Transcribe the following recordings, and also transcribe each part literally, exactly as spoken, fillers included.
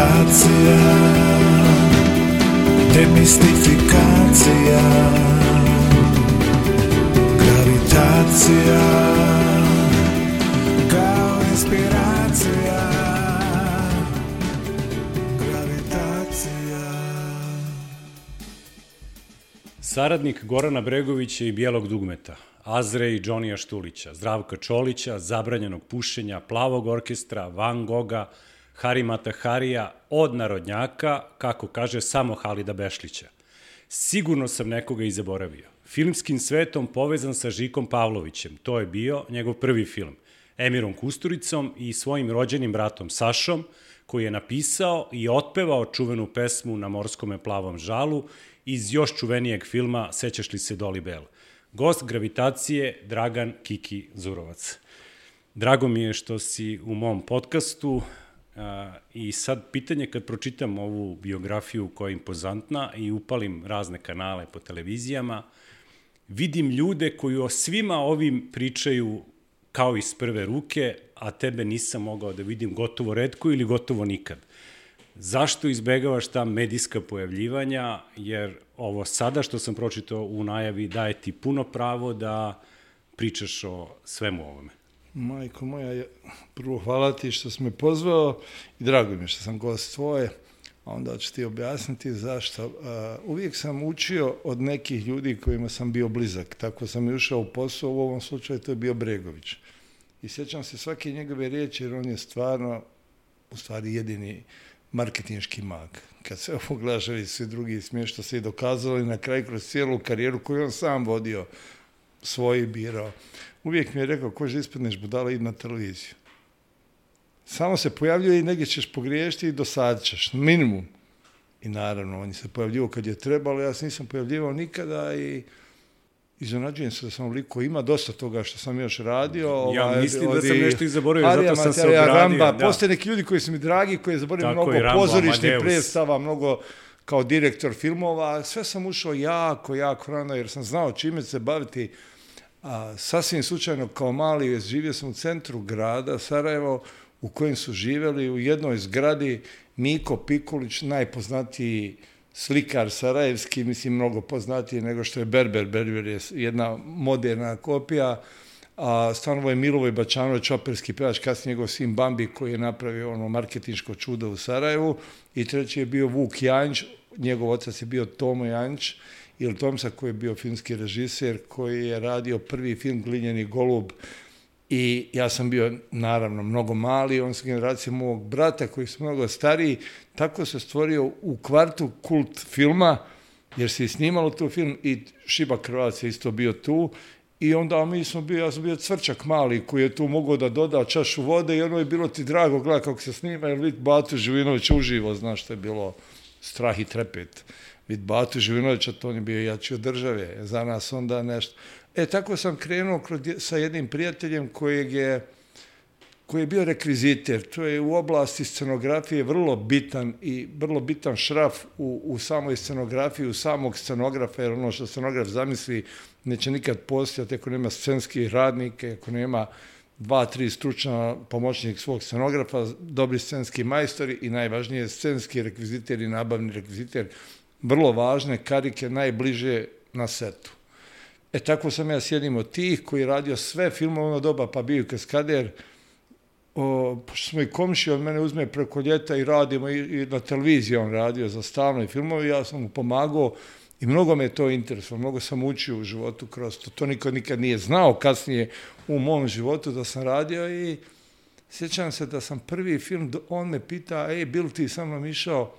Gravitacija, demistifikacija. Gravitacija, kao inspiracija. Gravitacija. Saradnik Gorana Bregovića i Bijelog dugmeta, Azre i Džonija Štulića, Zdravka Čolića, Zabranjenog pušenja, Plavog orkestra, Van Goga, Harimata Harija, od narodnjaka, kako kaže, samo Halida Bešlića. Sigurno sam nekoga i zaboravio. Filmskim svetom povezan sa Žikom Pavlovićem, to je bio njegov prvi film, Emirom Kusturicom i svojim rođenim bratom Sašom, koji je napisao i otpevao čuvenu pesmu Na morskome plavom žalu iz još čuvenijeg filma Sećaš li se Doli Bell. Gost Gravitacije, Dragan Kiki Zurovac. Drago mi je što si u mom podcastu a, i sad pitanje kad pročitam ovu biografiju koja je impozantna i upalim razne kanale po televizijama, vidim ljude koji o svima ovim pričaju kao iz prve ruke, a tebe nisam mogao da vidim gotovo retko ili gotovo nikad. Zašto izbegavaš ta medijska pojavljivanja, jer ovo sada što sam pročitao u najavi daje ti puno pravo da pričaš o svemu ovome. Majko moja, prvo hvala ti što si me pozvao i drago mi je što sam gost tvoje, a onda ću ti objasniti zašto. Uh, uvijek sam učio od nekih ljudi kojima sam bio blizak, tako sam i ušao u posao, u ovom slučaju to je bio Bregović. I sjećam se svake njegove riječi jer on je stvarno, u stvari jedini marketinški mag. Kad se pogledaš i svi drugi smije što se i dokazalo i na kraju kroz cijelu karijeru koju on sam vodio, svoji birao. Uvijek mi je rekao, ko že ispadneš budala, idi na televiziju. Samo se pojavljuje i negdje ćeš pogriješiti i dosadit ćeš, minimum. I naravno, on je se pojavljivao kad je trebalo, ja se nisam pojavljivao nikada i iznenađujem se da sam ovoliko, ima dosta toga što sam još radio. Ja ovaj, mislim od, da sam nešto i zaboravio, Arija, zato sam Mateja, se ogradio. Ramba, Da. postoje neki ljudi koji su mi dragi, koji je zaboravio Tako mnogo i Rambo, pozorišnih Amadeus. predstava, mnogo kao direktor filmova. Sve sam ušao jako, jako rano jer sam znao čime se baviti. A, sasvim slučajno kao mali živio sam u centru grada Sarajevo u kojem su živjeli u jednoj zgradi Miko Pikulić, najpoznatiji slikar sarajevski, mislim mnogo poznatiji nego što je Berber. Berber je jedna moderna kopija, a stanovo je Milivoj Bačanović, operski pevač, kasnije njegov sin Bambi koji je napravio ono marketinško čudo u Sarajevu, i treći je bio Vuk Janjić, njegov otac je bio Tomo Janjić, ili Tomsa koji je bio filmski režiser, koji je radio prvi film Glinjeni golub, i ja sam bio naravno mnogo mali, on sa generacijom mog brata koji su mnogo stariji, tako se stvorio u kvartu kult filma, jer se je snimalo tu film i Šiba Krvac je isto bio tu, i onda mi smo bio, ja sam bio cvrčak mali koji je tu mogao da doda čašu vode i ono je bilo ti drago gledati kako se snima, jer vid Batu Živinović uživo, znaš što je bilo strah i trepet. Vid Batu Živinovića, to on je bio jači od države, za nas onda nešto. E, tako sam krenuo sa jednim prijateljem kojeg je, koji je bio rekviziter. To je u oblasti scenografije vrlo bitan i vrlo bitan šraf u, u samoj scenografiji, u samog scenografa, jer ono što scenograf zamisli neće nikad postojati ako nema scenskih radnike, ako nema dva, tri stručna pomoćnik svog scenografa, dobri scenski majstori i najvažnije scenski rekviziter i nabavni rekviziter, vrlo važne karike najbliže na setu. E tako sam ja sjedim od tih koji je radio sve filmove ono doba, pa bio i kaskader, o, pošto smo i komšije od mene uzme preko ljeta i radimo i, i na televiziji on radio za stalno i filmove, ja sam mu pomagao i mnogo me je to interesovalo, mnogo sam učio u životu kroz to, to niko nikad nije znao kasnije u mom životu da sam radio, i sjećam se da sam prvi film, on me pita, ej, bil ti sa mnom išao?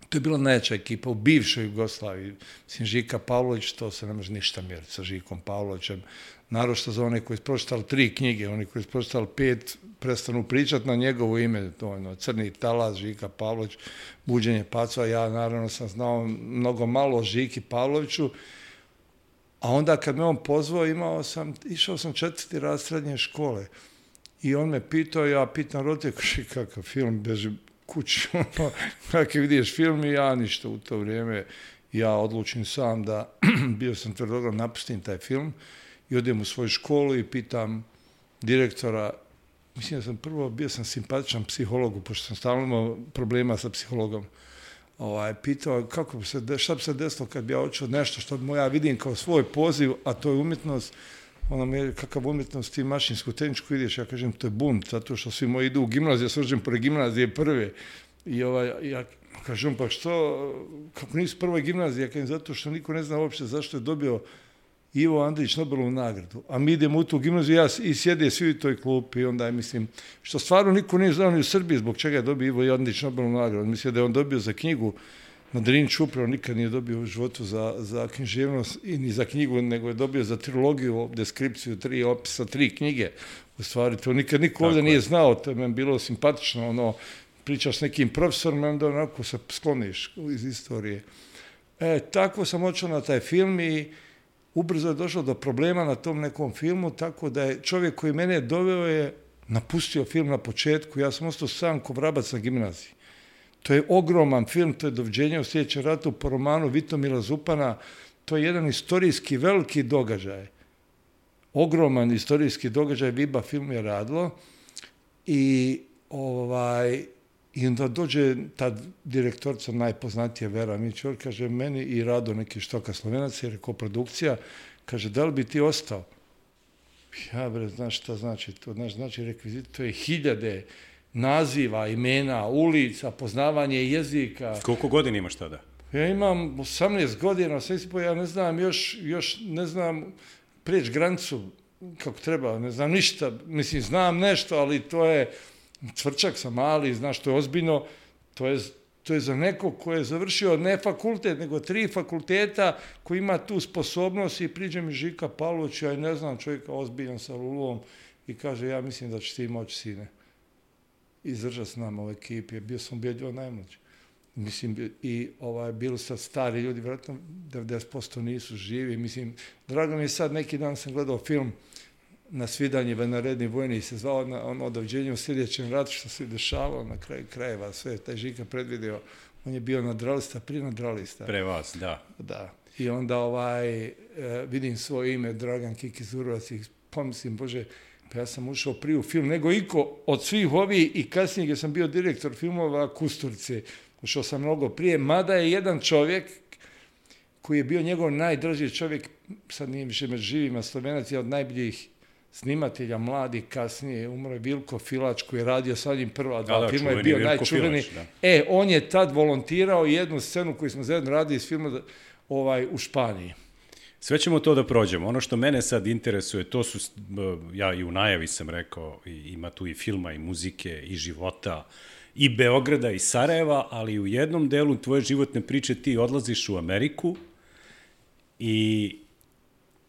To je bila najjača ekipa u bivšoj Jugoslaviji. Mislim, Žika Pavlović, to se ne može ništa mjeriti sa Žikom Pavlovićem. Naročito za one koji su pročitali tri knjige, oni koji su pročitali pet, prestanu pričati na njegovo ime. To je ono, Crni talas, Žika Pavlović, Buđenje pacova. Ja naravno sam znao mnogo malo o Žiki Pavloviću. A onda kad me on pozvao, imao sam, išao sam četvrti raz srednje škole. I on me pitao, ja pitam roditelj, kakav film, beži kući, kako vidiš film, i ja ništa u to vrijeme, ja odlučim sam da, bio sam tvrdoglav, napustim taj film i odem u svoju školu i pitam direktora mislim da sam prvo bio sam simpatičan psihologu, pošto sam stalno imao problema sa psihologom. Ovaj, pitao kako bi se, šta bi se desilo kad bi ja učio nešto što bi ja vidim kao svoj poziv, a to je umjetnost. Ona me, kakav umjetnost ti mašinsku, tehničku ideš, ja kažem, to je bunt, zato što svi moji idu u gimnaziju, ja svrđem pored gimnazije prve. I ovaj, ja kažem, pa što, kako nisu prvoj gimnaziji, ja kažem, zato što niko ne zna uopšte zašto je dobio Ivo Andrić Nobelovu nagradu. A mi idemo u tu gimnaziju, ja i sjede svi u toj klupi, i onda je, mislim, što stvarno niko nije znao ni u Srbiji zbog čega je dobio Ivo Andrić Nobelovu nagradu. Mislim da je on dobio za knjigu na Drinču, upravo nikad nije dobio u životu za, za književnost i ni za knjigu, nego je dobio za trilogiju, deskripciju, tri opisa, tri knjige. U stvari, to nikad niko ovdje nije znao, to je meni bilo simpatično, ono, pričaš s nekim profesorom, onda onako se skloniš iz istorije. E, tako sam očeo na taj film i ubrzo je došlo do problema na tom nekom filmu, tako da je čovjek koji mene doveo je napustio film na početku, ja sam ostao sam ko vrabac na gimnaziji. To je ogroman film, to je Doviđenje u sljedećem ratu po romanu Vitomila Zupana, to je jedan istorijski veliki događaj. Ogroman istorijski događaj, Viba film je radilo i ovaj, i onda dođe ta direktorica najpoznatija Vera Mićor, kaže meni i Rado neki Štoka Slovenac, jer je koprodukcija, kaže da li bi ti ostao? Ja bre, znaš šta znači to, znaš, znači rekvizit, to je hiljade naziva, imena, ulica, poznavanje jezika. Koliko godina imaš tada? Ja imam osamnaest godina, sve si po, ja ne znam, još, još ne znam preći granicu kako treba, ne znam ništa, mislim, znam nešto, ali to je, cvrčak sam mali, znaš, to je ozbiljno, to je, to je za nekog ko je završio ne fakultet, nego tri fakulteta, koji ima tu sposobnost i priđe mi Žika Pavlović, ja ne znam čovjeka ozbiljan sa lulom i kaže, ja mislim da će ti moći, sine, izdržati s nama u ekipi, bio sam ubjedio najmlađi. Mislim, i ovaj, bili sad stari ljudi, vjerojatno devedeset posto nisu živi, mislim, drago mi je sad, neki dan sam gledao film Na svidanje vanredni vojni, se zvao na, ono Doviđenje u sljedećem ratu, što se dešavalo na kraju krajeva, sve, taj Žika predvidio, on je bio nadralista, prije nadralista. Pre vas, da. Da. I onda ovaj, e, vidim svoje ime, Dragan Kiki Zurovac, i pomislim, Bože, pa ja sam ušao prije u film, nego iko od svih ovih i kasnije gdje sam bio direktor filmova Kusturice, ušao sam mnogo prije, mada je jedan čovjek koji je bio njegov najdraži čovjek, sad nije više među živima, Slovenac je od najboljih snimatelja, mladi, kasnije, umro je Vilko Filač koji je radio sa njim prva dva da, filma, je bio Vilko najčuveni. Filač, e, on je tad volontirao jednu scenu koju smo zajedno radili iz filma ovaj, u Španiji. Sve ćemo to da prođemo. Ono što mene sad interesuje, to su, ja i u najavi sam rekao, ima tu i filma, i muzike, i života, i Beograda, i Sarajeva, ali u jednom delu tvoje životne priče ti odlaziš u Ameriku i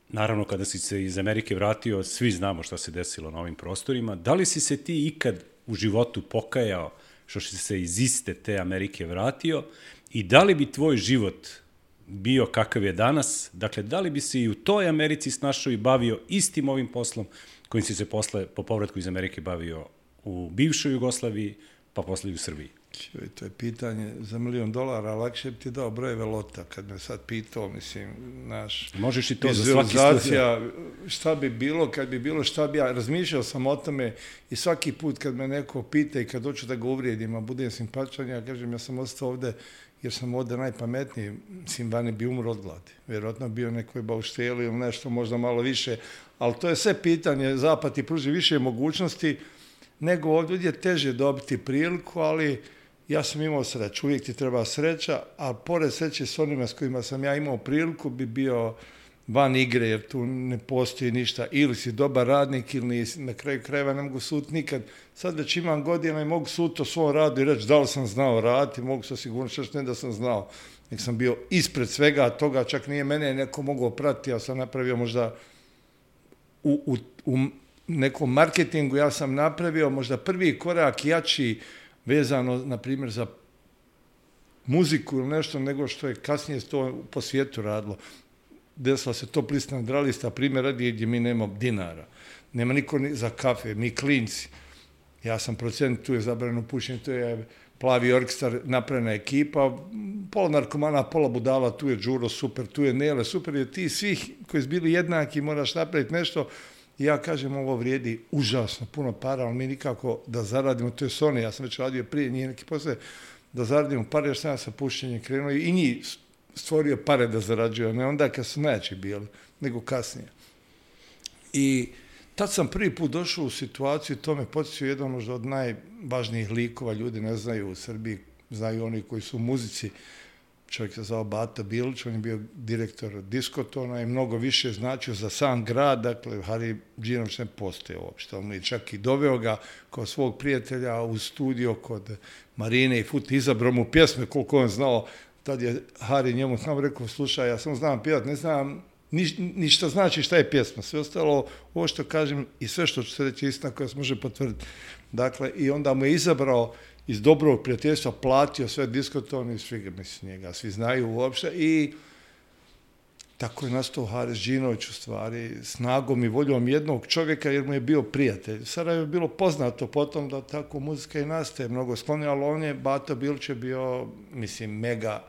naravno kada si se iz Amerike vratio, svi znamo šta se desilo na ovim prostorima. Da li si se ti ikad u životu pokajao što si se iz iste te Amerike vratio i da li bi tvoj život bio kakav je danas, dakle, da li bi se i u toj Americi snašao i bavio istim ovim poslom kojim si se posle, po povratku iz Amerike bavio u bivšoj Jugoslaviji, pa posle i u Srbiji? Čuj, to je pitanje za milion dolara, lakše bi ti dao brojeve lota, kad me sad pitao, mislim, naš... Možeš i to za svaki slučaj. Šta bi bilo, kad bi bilo, šta bi ja... Razmišljao sam o tome i svaki put kad me neko pita i kad hoću da ga uvrijedim, a budem simpatičan, ja kažem, ja sam ostao ovde jer sam ovdje najpametniji, mislim, vani bi umro od gladi. Vjerojatno bio nekoj baušteli ili nešto, možda malo više, ali to je sve pitanje, zapad ti pruži više mogućnosti, nego ovdje je teže dobiti priliku, ali ja sam imao sreću, uvijek ti treba sreća, a pored sreće s onima s kojima sam ja imao priliku bi bio van igre, jer tu ne postoji ništa, ili si dobar radnik, ili nisi, na kraju krajeva ne mogu sud nikad. Sad već imam godina i mogu sud o svom radu i reći da li sam znao raditi, mogu sa sigurnošću reći ne da sam znao, nek sam bio ispred svega, a toga čak nije mene neko mogao pratiti, ja sam napravio možda u, u, u nekom marketingu, ja sam napravio možda prvi korak jači vezano, na primjer, za muziku ili nešto, nego što je kasnije to po svijetu radilo. Desila se top lista nadralista, primjer radi gdje mi nemamo dinara. Nema niko ni za kafe, mi klinci. Ja sam procent, tu je zabrano pušenje, tu je Plavi orkestar, napravljena ekipa, pola narkomana, pola budala, tu je Đuro, super, tu je Nele, super, jer ti svih koji su bili jednaki moraš napraviti nešto I ja kažem, ovo vrijedi užasno puno para, ali mi nikako da zaradimo, to je Sony, ja sam već radio prije, nije neki posle, da zaradimo pare, jer sam ja sa pušenjem krenuo i njih stvorio pare da zarađuju, ne onda kad su najjači bili, nego kasnije. I tad sam prvi put došao u situaciju, to me podsjećao jedan možda od najvažnijih likova, ljudi ne znaju u Srbiji, znaju oni koji su u muzici, čovjek se zvao Bata Bilić, on je bio direktor diskotona i mnogo više značio za sam grad, dakle Hari Đinović ne postoje uopšte, on je čak i doveo ga kao svog prijatelja u studio kod Marine i Fut, izabrao mu pjesme koliko on znao, tad je Hari njemu sam rekao, slušaj, ja sam znam pjevat, ne znam ni, ni šta znači šta je pjesma, sve ostalo, ovo što kažem i sve što ću se reći istina koja se može potvrditi. Dakle, i onda mu je izabrao iz dobrog prijateljstva, platio sve diskotone i svi, mislim, njega svi znaju uopšte i tako je nastao Haris Đinović u stvari, snagom i voljom jednog čovjeka jer mu je bio prijatelj. Sarajevo je bilo poznato potom da tako muzika i nastaje mnogo sklonija, ali on je, Bato Bilić je bio, mislim, mega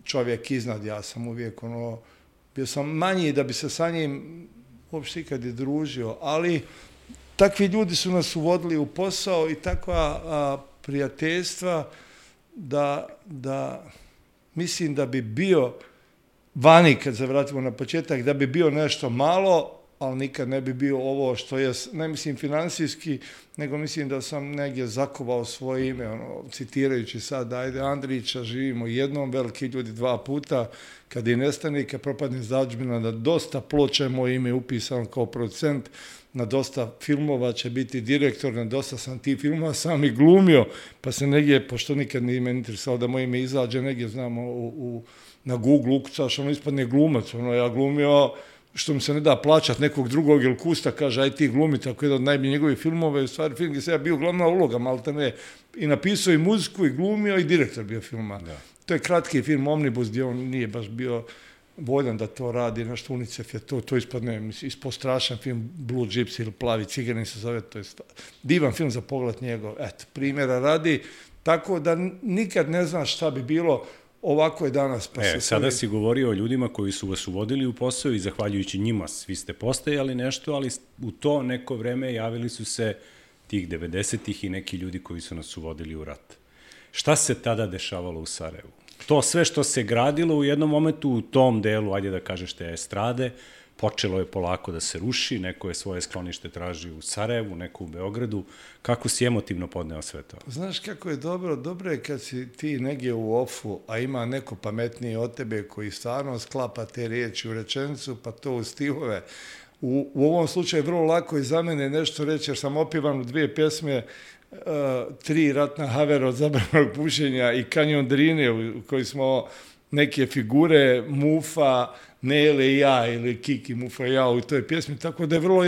čovjek iznad, ja sam uvijek ono, bio sam manji da bi se sa njim uopšte ikad i družio, ali takvi ljudi su nas uvodili u posao i takva a, prijateljstva da, da mislim da bi bio vani, kad se vratimo na početak, da bi bio nešto malo, ali nikad ne bi bio ovo što je, ne mislim financijski, nego mislim da sam negdje zakovao svoje ime, ono, citirajući sad, ajde Andrića, živimo jednom, veliki ljudi dva puta, kad i nestane, kad propadne zađbina, da dosta ploča je moje ime upisano kao producent, na dosta filmova će biti direktor, na dosta sam ti filmova sam i glumio, pa se negdje, pošto nikad nije me interesalo da moje ime izađe, negdje znamo u, u, na Google ukucaš, ono ispadne glumac, ono ja glumio što mi se ne da plaćat nekog drugog ili kusta, kaže aj ti glumi, tako jedan od najboljih njegovih filmova, i u stvari film gdje se ja bio glavna uloga, malte ne, i napisao i muziku i glumio i direktor bio filma. Da. To je kratki film Omnibus gdje on nije baš bio voljan da to radi, nešto UNICEF je to, to ispadne, mislim, ispod strašan film Blue Gypsy ili Plavi ciganin se zove, to je divan film za pogled njegov, eto, primjera radi, tako da nikad ne znaš šta bi bilo. Ovako je danas. Pa e, sada si govorio o ljudima koji su vas uvodili u posao i zahvaljujući njima svi ste postajali nešto, ali u to neko vreme javili su se tih devedesetih i neki ljudi koji su nas uvodili u rat. Šta se tada dešavalo u Sarajevu? To sve što se gradilo u jednom momentu u tom delu, ajde da kažeš te estrade, počelo je polako da se ruši, neko je svoje sklonište tražio u Sarajevu, neko u Beogradu. Kako si emotivno podneo sve to? Znaš kako je dobro? Dobro je kad si ti negdje u ofu, a ima neko pametniji od tebe koji stvarno sklapa te riječi u rečenicu, pa to u stihove. U, u ovom slučaju vrlo lako je za mene nešto reći, jer sam opivan u dvije pjesme, uh, tri ratna havera od zabranog pušenja i Kanjon Drine, u kojoj smo neke figure, Mufa, Nele i ja, ili Kiki, Mufa i ja u toj pjesmi, tako da je vrlo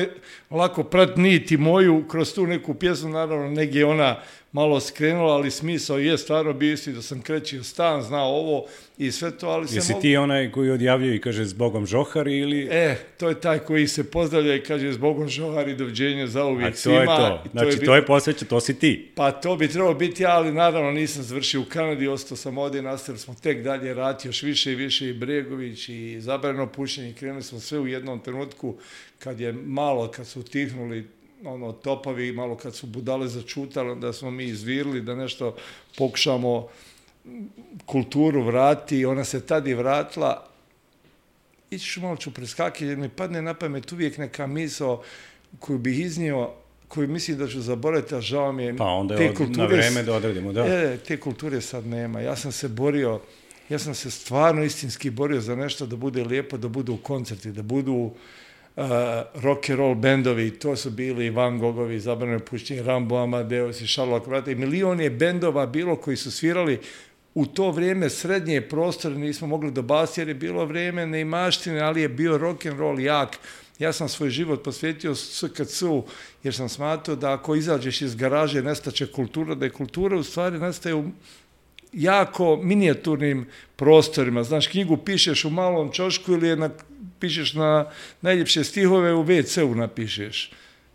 lako prat niti moju kroz tu neku pjesmu, naravno negdje ona malo skrenula, ali smisao je stvarno bio isti da sam krećio stan, znao ovo i sve to, ali se Jesi mogu... ti onaj koji odjavljuje i kaže zbogom Žohari ili... E, to je taj koji se pozdravlja i kaže zbogom Žohari, doviđenja za uvijek svima. A to je to, znači to je, to je posveća, to si ti. Pa to bi trebalo biti ja, ali naravno nisam završio u Kanadi, ostao sam ovdje, nastavili smo tek dalje rati, još više i više i Bregović i zabrano pušenje, krenuli smo sve u jednom trenutku kad je malo, kad su utihnuli ono, topovi, malo kad su budale začutali, onda smo mi izvirili da nešto pokušamo kulturu vrati i ona se tad i vratila. Ići ću malo ću preskakati jer mi padne na pamet uvijek neka misao koju bih iznio, koju mislim da ću zaboraviti, a žao mi je. Pa onda je od, na vreme da odredimo, da. E, te kulture sad nema. Ja sam se borio, ja sam se stvarno istinski borio za nešto da bude lijepo, da budu koncerti, da budu Uh, rock and roll bendovi, to su bili Van Gogovi, Zabrano pušenje, Rambo, Amadeus i Sherlock Vrata i milion je bendova bilo koji su svirali u to vrijeme srednje prostore, nismo mogli dobasti jer je bilo vrijeme neimaštine, ali je bio rock and roll jak. Ja sam svoj život posvetio S K C-u jer sam smatrao da ako izađeš iz garaže nestaće kultura, da je kultura u stvari nastaje u jako minijaturnim prostorima. Znaš, knjigu pišeš u malom čošku ili je na, pišeš na najljepše stihove u ve ce-u napišeš.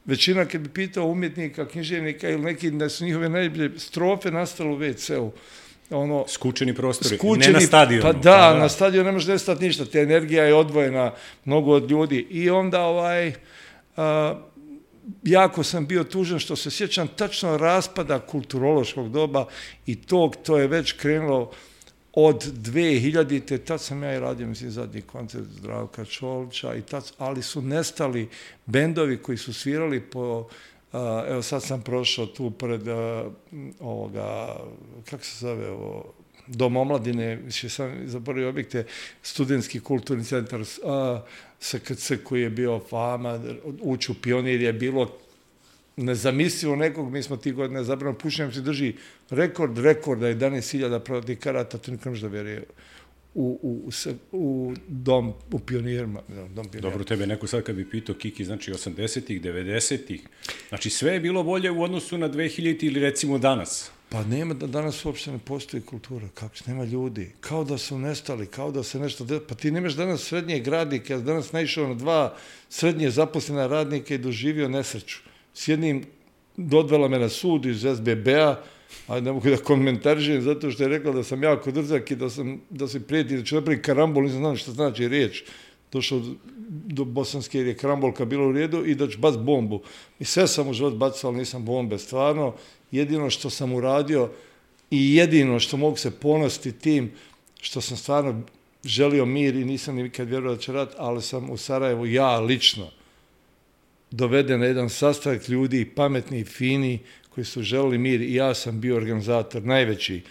Većina, kad bi pitao umjetnika, književnika ili neki da su njihove najljepše strofe nastale u ve ce-u. Ono, skučeni prostori, skučeni, ne na stadionu. Pa da, pa, da, na stadionu ne može nestati ništa, te energija je odvojena mnogo od ljudi. I onda ovaj, a, jako sam bio tužan što se sjećam tačno raspada kulturološkog doba i tog, to je već krenulo od dve hiljadite. Tad sam ja i radio, mislim, zadnji koncert Zdravka Čolića, i tad, ali su nestali bendovi koji su svirali po, uh, evo sad sam prošao tu pred uh, ovoga, kako se zove ovo, Dom omladine, više sam zaboravio objekte, studentski kulturni centar, uh, S K C koji je bio fama, ući u Pionir je bilo nezamislivo nekog, mi smo ti godine zabrano pušenjem se drži rekord, rekorda jedanaest hiljada prodatih karata, to nikad možda vjeruje, u, u, u dom, u Pionirima. Dom Pionirima. Dobro, tebe neko sad kad bi pitao, Kiki, znači osamdesetih, devedesetih, znači sve je bilo bolje u odnosu na dve hiljadite ili recimo danas. Pa nema, da danas uopšte ne postoji kultura, kako se, nema ljudi, kao da su nestali, kao da se nešto, pa ti nemaš danas srednjeg radnika, ja danas naišao na dva srednje zaposlena radnika i doživio nesreću. S jednim dodvela me na sud iz S B B-a, a ne mogu da komentarišem zato što je rekla da sam jako drzak i da, sam, da se prijeti da ću napraviti karambol, nisam znao što znači riječ. Došao do Bosanske jer je karambolka bila u redu i da ću bac bombu. I sve sam u život bacao, ali nisam bombe, stvarno. Jedino što sam uradio i jedino što mogu se ponositi tim što sam stvarno želio mir i nisam nikad vjerovao da će rat, ali sam u Sarajevu, ja lično, doveden na jedan sastanak ljudi, pametni i fini, koji su želeli mir i ja sam bio organizator, najveći,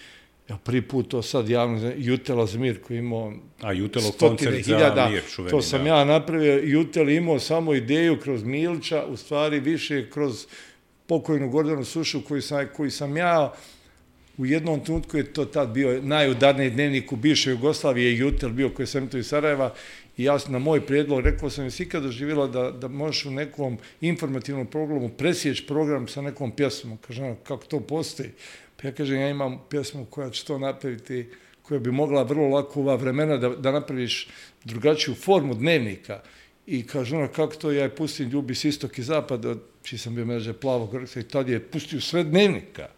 ja prvi put to sad javno, Jutela za mir koji imao A Jutelo koncert za mir, čuveni. To sam da. ja napravio, Jutel imao samo ideju kroz Milića, u stvari više kroz pokojnu Gordanu Sušu koji sam, koji sam ja u jednom trenutku je to tad bio najudarniji dnevnik u bivšoj Jugoslaviji, je Jutel bio koji sam to iz Sarajeva i ja sam na moj prijedlog rekao sam jesi ikad doživjela da, da možeš u nekom informativnom programu presjeći program sa nekom pjesmom. Kažem, kako to postoji? Pa ja kažem, ja imam pjesmu koja će to napraviti, koja bi mogla vrlo lako u ova vremena da, da napraviš drugačiju formu dnevnika. I kaže ona, kako to, ja je pustim Ljubi s istok i zapad, čiji sam bio međe Plavog Rksa i tad je pustio sve dnevnika.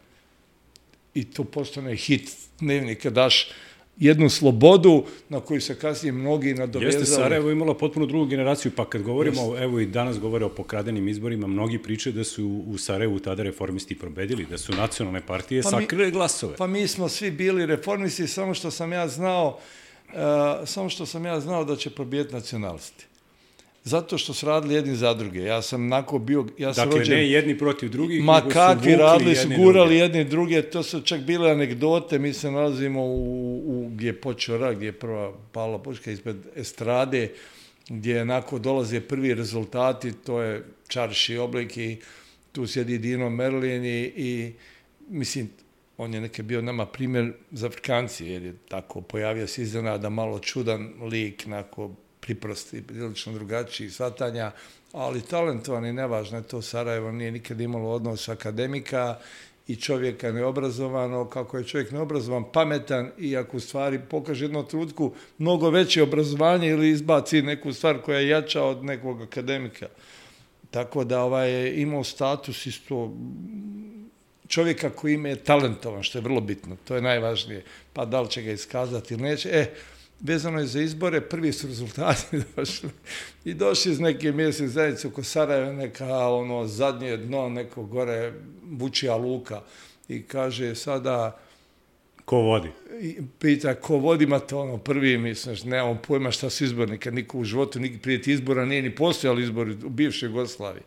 I to postane hit dnevnika, daš jednu slobodu na koju se kasnije mnogi nadovezali. Jeste, Sarajevo imalo potpuno drugu generaciju, pa kad govorimo, Jeste. evo i danas govore o pokradenim izborima, mnogi pričaju da su u Sarajevu tada reformisti pobedili, da su nacionalne partije pa sakrile glasove. Pa mi smo svi bili reformisti, samo što sam ja znao, uh, samo što sam ja znao da će pobijeti nacionalisti. Zato što su radili jedni za druge. Ja sam onako bio... Ja sam dakle, rođen, ne jedni protiv drugih, ma nego su kakvi radili, su gurali druge. jedni druge. To su čak bile anegdote. Mi se nalazimo u, u gdje je počeo rak, gdje je prva pala puška ispred estrade, gdje onako dolaze prvi rezultati. To je čarši oblik i tu sjedi Dino Merlin i, i mislim, on je neke bio nama primjer za Afrikanci, jer je tako pojavio se iznenada malo čudan lik, onako priprosti, prilično drugačiji shvatanja, ali talentovani, nevažno je to, Sarajevo nije nikad imalo odnos akademika i čovjeka neobrazovano, kako je čovjek neobrazovan, pametan i ako u stvari pokaže jednu trutku mnogo veće obrazovanje ili izbaci neku stvar koja je jača od nekog akademika. Tako da ovaj je imao status isto čovjeka koji ima je talentovan, što je vrlo bitno, to je najvažnije, pa da li će ga iskazati ili neće. E, vezano je za izbore, prvi su rezultati došli i došli iz neke mjesne zajednice oko Sarajeva, neka ono zadnje dno, neko gore Vučija luka i kaže sada... Ko vodi? I pita ko vodi, ma to ono prvi, misliš, nemam pojma šta su izbori, nikad niko u životu, nikad prije izbora nije ni postojali izbori u bivšoj Jugoslaviji.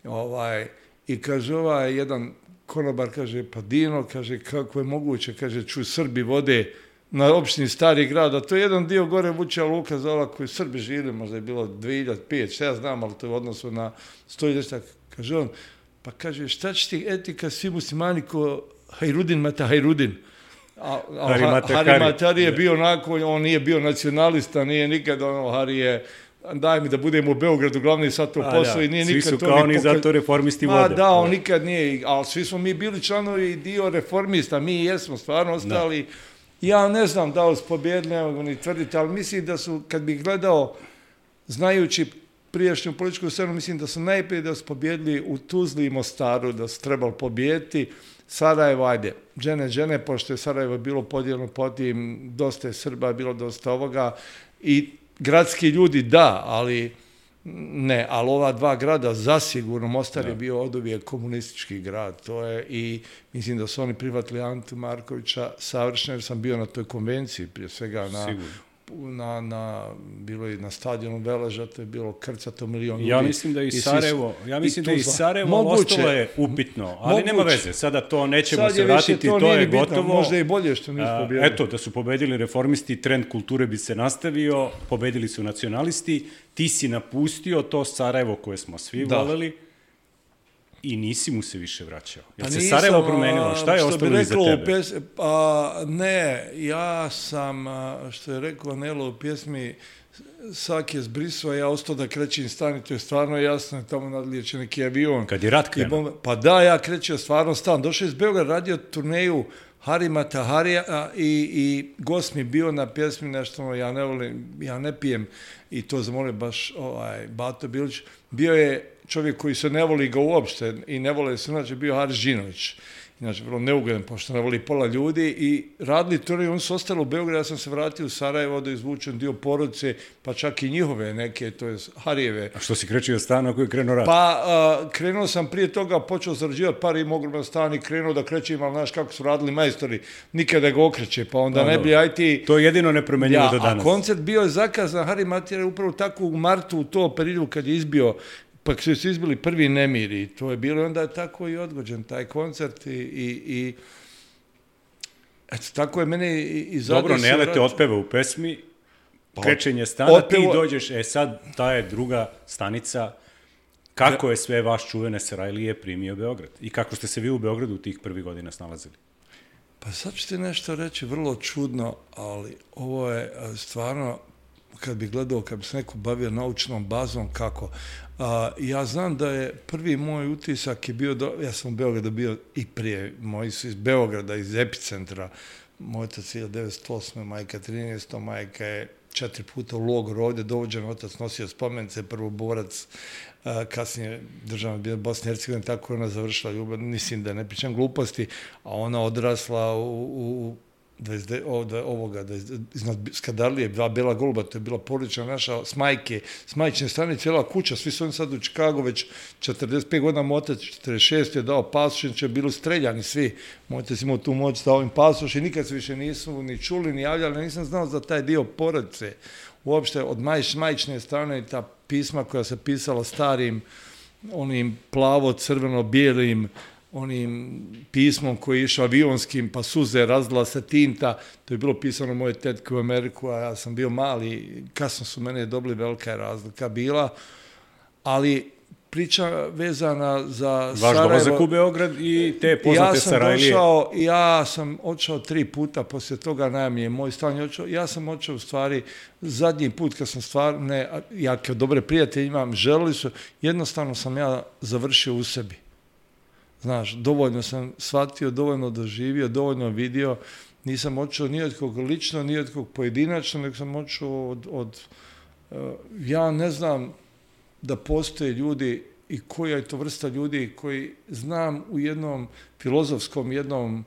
Ovaj, i kaže ovaj jedan konobar, kaže, pa Dino, kaže, kako je moguće, kaže, čuj, Srbi vode na opštini Stari grad, a to je jedan dio gore Vučija luka za ova koji Srbi živili, možda je bilo dvije hiljade pet, šta ja znam, ali to je u odnosu na sto hiljada, kaže on, pa kaže, šta će ti etika svi muslimani ko Hajrudin Mata Hajrudin? A, a Hari Mata Hari Matari je bio onako, on nije bio nacionalista, nije nikad ono, Hari je, daj mi da budemo u Beogradu, glavni sad to posao i nije svi nikad su to... kao ni pokaz... zato reformisti Ma, vode. da, on nikad nije, ali svi smo mi bili članovi dio reformista, mi jesmo stvarno ostali. Da. Ja ne znam da li su pobjedili, ne mogu ni tvrditi, ali mislim da su, kad bih gledao, znajući prijašnju političku scenu, mislim da su najprije da su pobjedili u Tuzli i Mostaru, da su trebali pobjediti. Sarajevo, ajde, džene, džene, pošto je Sarajevo bilo podijeljeno po tim, dosta je Srba, bilo dosta ovoga i gradski ljudi da, ali ne, ali ova dva grada zasigurno, Mostar Da. je bio oduvijek komunistički grad, to je, i mislim da su oni prihvatili Antu Markovića savršeno, jer sam bio na toj konvenciji, prije svega na, Sigurno. na, na bilo i na stadionu Veleža, to je bilo krcato milion ljudi. Ja mislim da i svi su- Sarajevo, ja mislim da i Tuzla. Sarajevo Moguće. ostalo je upitno, ali nema Moguće. veze, sada to nećemo Sad se je više, vratiti, to, nije je ni bitno, gotovo. možda i bolje što nisu A, pobjedili. Eto, da su pobedili reformisti, trend kulture bi se nastavio, pobedili su nacionalisti, ti si napustio to Sarajevo koje smo svi Da. voleli i nisi mu se više vraćao. Jel Pa se nisam, Sarajevo a, promenilo? Šta je što bi ostalo iza reklo u tebe? pjes- pa ne, ja sam, a, što je rekao Nelo u pjesmi, Sak je zbrisao, ja ostao da krećem stani, to je stvarno jasno, tamo nadlijeće neki avion. Kad je rat I krenuo. bombe- Pa da, ja krećeo stvarno stan. Došao iz Beograda, radio turneju Harima Taharija a, i, i gost mi bio na pjesmi nešto, ono, ja ne volim, ja ne pijem, i to zamolio baš ovaj, Bato Bilić. Bio je čovjek koji se ne voli ga uopšte i ne vole se, znači bio Haris Žinović. Inače, vrlo neugodan, pošto ne voli pola ljudi, i radili turneju, oni su ostali u Beogradu, ja sam se vratio u Sarajevo da izvučem dio porodice, pa čak i njihove neke, to je Harijeve. A što si krećio stan ako je krenuo rat? Pa a, krenuo sam prije toga, počeo zarađivati par, im ogroman stan i krenuo da krećem, ali znaš kako su radili majstori, nikada ga okreće, pa onda A, ne bi dobro. aj ti... To je jedino nepromenjivo Ja, do a danas. koncert bio je zakazan, Hari Matija upravo tako u martu, u to periodu kad je izbio, pa su se izbili prvi nemiri, to je bilo, onda je tako i odgođen taj koncert i... i, i eto, tako je mene i, i Dobro, zadesio Nele te rat. otpeva u pesmi, Pa, krećenje stana, otpevo- ti dođeš, e sad, ta je druga stanica, kako je sve vaš čuvene Sarajlije primio Beograd i kako ste se vi u Beogradu tih prvih godina snalazili? Pa sad ću ti nešto reći vrlo čudno, ali ovo je a, stvarno, kad bi gledao, kad bi se neko bavio naučnom bazom, kako. A, ja znam da je prvi moj utisak je bio, do, ja sam u Beogradu bio i prije, moji su iz Beograda, iz epicentra, moj otac je devetsto osme, majka trinaesto, majka je četiri puta u logoru ovdje dovođen, otac nosio spomenice, prvo borac, a, kasnije državna bila Bosna i Hercegovina, tako je ona završila ljubav, mislim da ne pričam gluposti, a ona odrasla u, u dvadeset devet ovdje, ovoga, da iznad Skadarlije, dva bela goluba, to je bila porodična naša, s majke, s majčine strane cijela kuća, svi su oni sad u Čikagu već četrdeset pet godina, moj otac četrdeset šest je dao pasoš, inače bili streljani svi, moj otac imao tu moć da ovim pasoš i nikad se više nisu ni čuli, ni javljali, nisam znao za taj dio porodice, uopšte od majč, majčine strane, ta pisma koja se pisala starim, onim plavo-crveno-bijelim, onim pismom koji je išao avionskim, pa suze, razlila se tinta, to je bilo pisano moje tetke u Ameriku, a ja sam bio mali, kasno su mene dobili, velika je razlika bila, ali priča vezana za Vaš Sarajevo... dolazak u Beograd i te poznate ja sam Sarajlije. došao, ja sam odšao tri puta, poslije toga najamnije moj stan je odšao, ja sam odšao u stvari, zadnji put kad sam stvarno, ne, ja kao dobre prijatelje imam, želili su, jednostavno sam ja završio u sebi. Znaš, dovoljno sam shvatio, dovoljno doživio, dovoljno vidio, nisam odšao ni od kog lično, ni od kog pojedinačno, nego sam odšao od, od uh, ja ne znam da postoje ljudi i koja je to vrsta ljudi koji znam u jednom filozofskom, jednom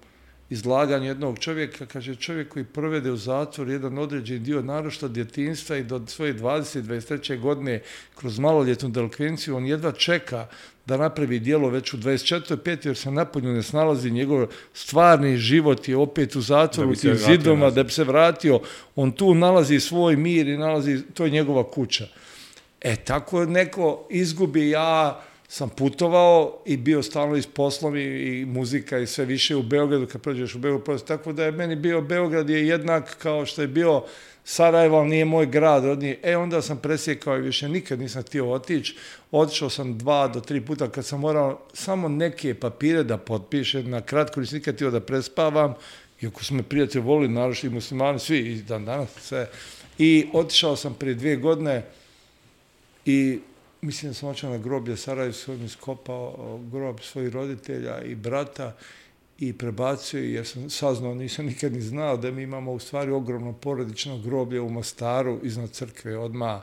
izlaganju jednog čovjeka, kaže čovjek koji provede u zatvoru jedan određeni dio naročito djetinjstva i do svoje dvadeset dvadeset treće godine kroz maloljetnu delikvenciju, on jedva čeka da napravi djelo već u dvadeset četvrtoj peti jer se napolju ne snalazi, njegov stvarni život je opet u zatvoru, u tim zidovima, da bi se vratio, on tu nalazi svoj mir i nalazi, to je njegova kuća. E, tako neko izgubi, ja sam putovao i bio stalno iz poslovi i muzika i sve više u Beogradu, kad prođeš u Beogradu, tako da je meni bio Beograd je jednak kao što je bio Sarajevo, ali nije moj grad rodni. E, onda sam presjekao i više nikad nisam htio otići. Otišao sam dva do tri puta kad sam morao samo neke papire da potpišem, na kratko nisam nikad htio da prespavam, iako su me prijatelji volili, naročito i muslimani, svi i dan danas sve. I otišao sam prije dvije godine i mislim da sam otišao na groblje Sarajevo, sam iskopao grob svojih roditelja i brata i prebacio, jer sam saznao, nisam nikad ni znao da mi imamo u stvari ogromno porodično groblje u Mostaru iznad crkve, odmah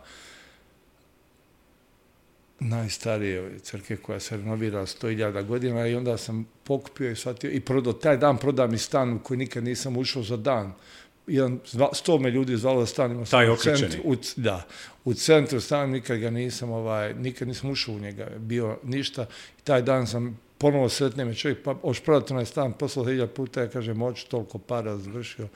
najstarije crkve koja se renovira sto hiljada godina i onda sam pokupio i shvatio i prodao, taj dan prodam i stan u koji nikad nisam ušao za dan. jedan, sto me ljudi zvalo da stanem Taj u okrećeni. centru, u, da, u centru stanem, nikad ga nisam, ovaj, nikad nisam ušao u njega, bio ništa. I taj dan sam ponovo sretne me čovjek, pa hoćeš prodati onaj stan, poslao hiljadu puta, ja kažem, hoću toliko para završio,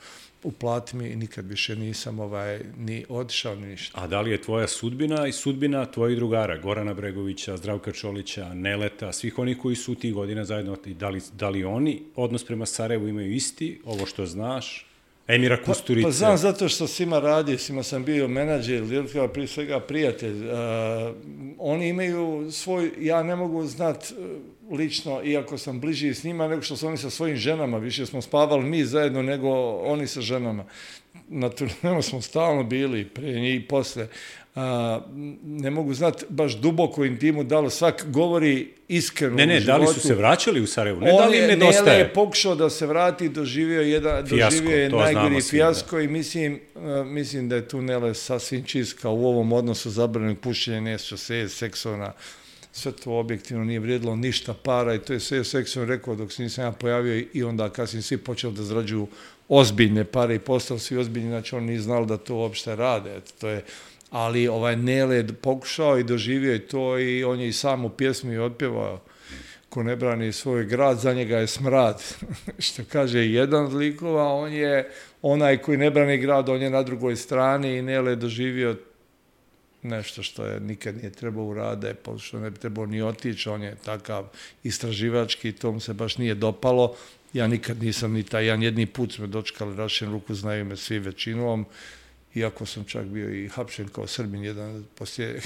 uplati mi i nikad više nisam ovaj, ni otišao, ni ništa. A da li je tvoja sudbina i sudbina tvojih drugara, Gorana Bregovića, Zdravka Čolića, Neleta, svih onih koji su tih godina zajedno, da li, da li oni odnos prema Sarajevu imaju isti, ovo što znaš? Emira Kusturice. Pa, pa znam zato što s njima radio, s njima sam bio menadžer, prije svega prijatelj. Uh, oni imaju svoj, ja ne mogu znat lično, iako sam bliži s njima, nego što su oni sa svojim ženama. Više smo spavali mi zajedno nego oni sa ženama. Na turnemu smo stalno bili, prije njih i posle. Uh, ne mogu znati baš duboko intimu, da li svak govori iskreno Ne, ne, u životu. da li su se vraćali u Sarajevu? Ne, da li im nedostaje? Nele je pokušao da se vrati, doživio, jedan, Fijasko, doživio je to najgori znamo svi, fijasko i mislim, uh, mislim da je tu Nele sasvim čistka u ovom odnosu zabranjenog pušenja, nešto se seksovna, sve to objektivno nije vrijedilo ništa para i to je sve seksovno rekao dok se nisam ja pojavio i onda kasnije svi počeli da zarađuju ozbiljne pare i postali svi ozbiljni, znači oni nije znali da to uopšte rade, eto, to je. Ali ovaj Nele je pokušao i doživio je to i on je i sam u pjesmi otpjevao ko ne brani svoj grad, za njega je smrad. Što kaže jedan od likova, on je onaj koji ne brani grad, on je na drugoj strani i Nele je doživio nešto što je nikad nije trebao urade, što ne bi trebao ni otići, on je takav istraživački, to mu se baš nije dopalo. Ja nikad nisam ni taj, jedan jedni put smo dočekali rašen ruku, znaju me svi većinom, iako sam čak bio i hapšen kao Srbin, jedan poslije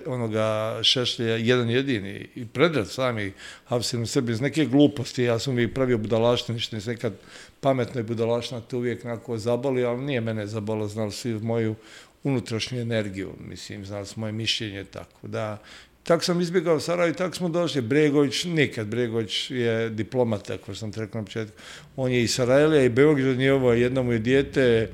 onoga Šešlja, jedan jedini, i Predrag sami hapšen u Srbiji iz neke gluposti, ja sam uvijek pravio budalaštine, ništa nisam nekad pametno i budalaština, to uvijek nakon zaboli, ali nije mene zabolo, znali svi moju unutrašnju energiju, mislim, znali su moje mišljenje, tako da, tako sam izbjegao Sarajevo i tako smo došli. Bregović, nikad, Bregović je diplomata, kao sam te rekao na početku, on je i Sarajlija i Beograd, je ovo, jedno mu je dijete,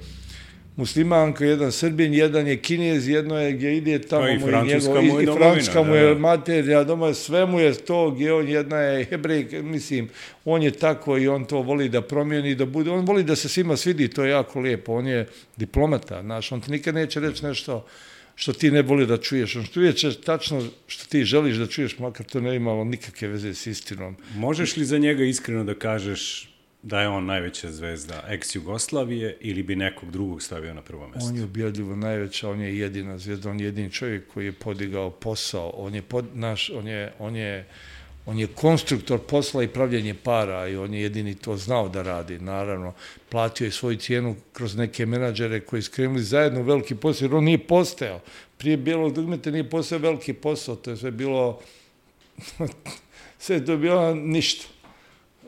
muslimanka, jedan Srbin, jedan je Kinez, jedno je gdje ide tamo pa i mu je Francuska njegov, mu je i, i Francuska mu je da, da. materija, doma sve mu je to, gdje on jedna je Hebrej, mislim, on je tako i on to voli da promijeni, da bude, on voli da se svima svidi, to je jako lijepo, on je diplomata, znaš, on ti nikad neće reći nešto što ti ne voli da čuješ, on što uvijek tačno što ti želiš da čuješ, makar to ne imalo nikakve veze s istinom. Možeš li za njega iskreno da kažeš da je on najveća zvezda ex-Jugoslavije ili bi nekog drugog stavio na prvo mjesto? On je ubjedljivo najveća, on je jedina zvezda, on je jedini čovjek koji je podigao posao, on je, pod, naš, on je, on je, on je konstruktor posla i pravljenje para i on je jedini to znao da radi, naravno. Platio je svoju cijenu kroz neke menadžere koji su krenuli zajedno u veliki posao, jer on nije postojao. Prije Bijelog dugmeta nije postojao veliki posao, to je sve bilo, sve je to bilo ništa.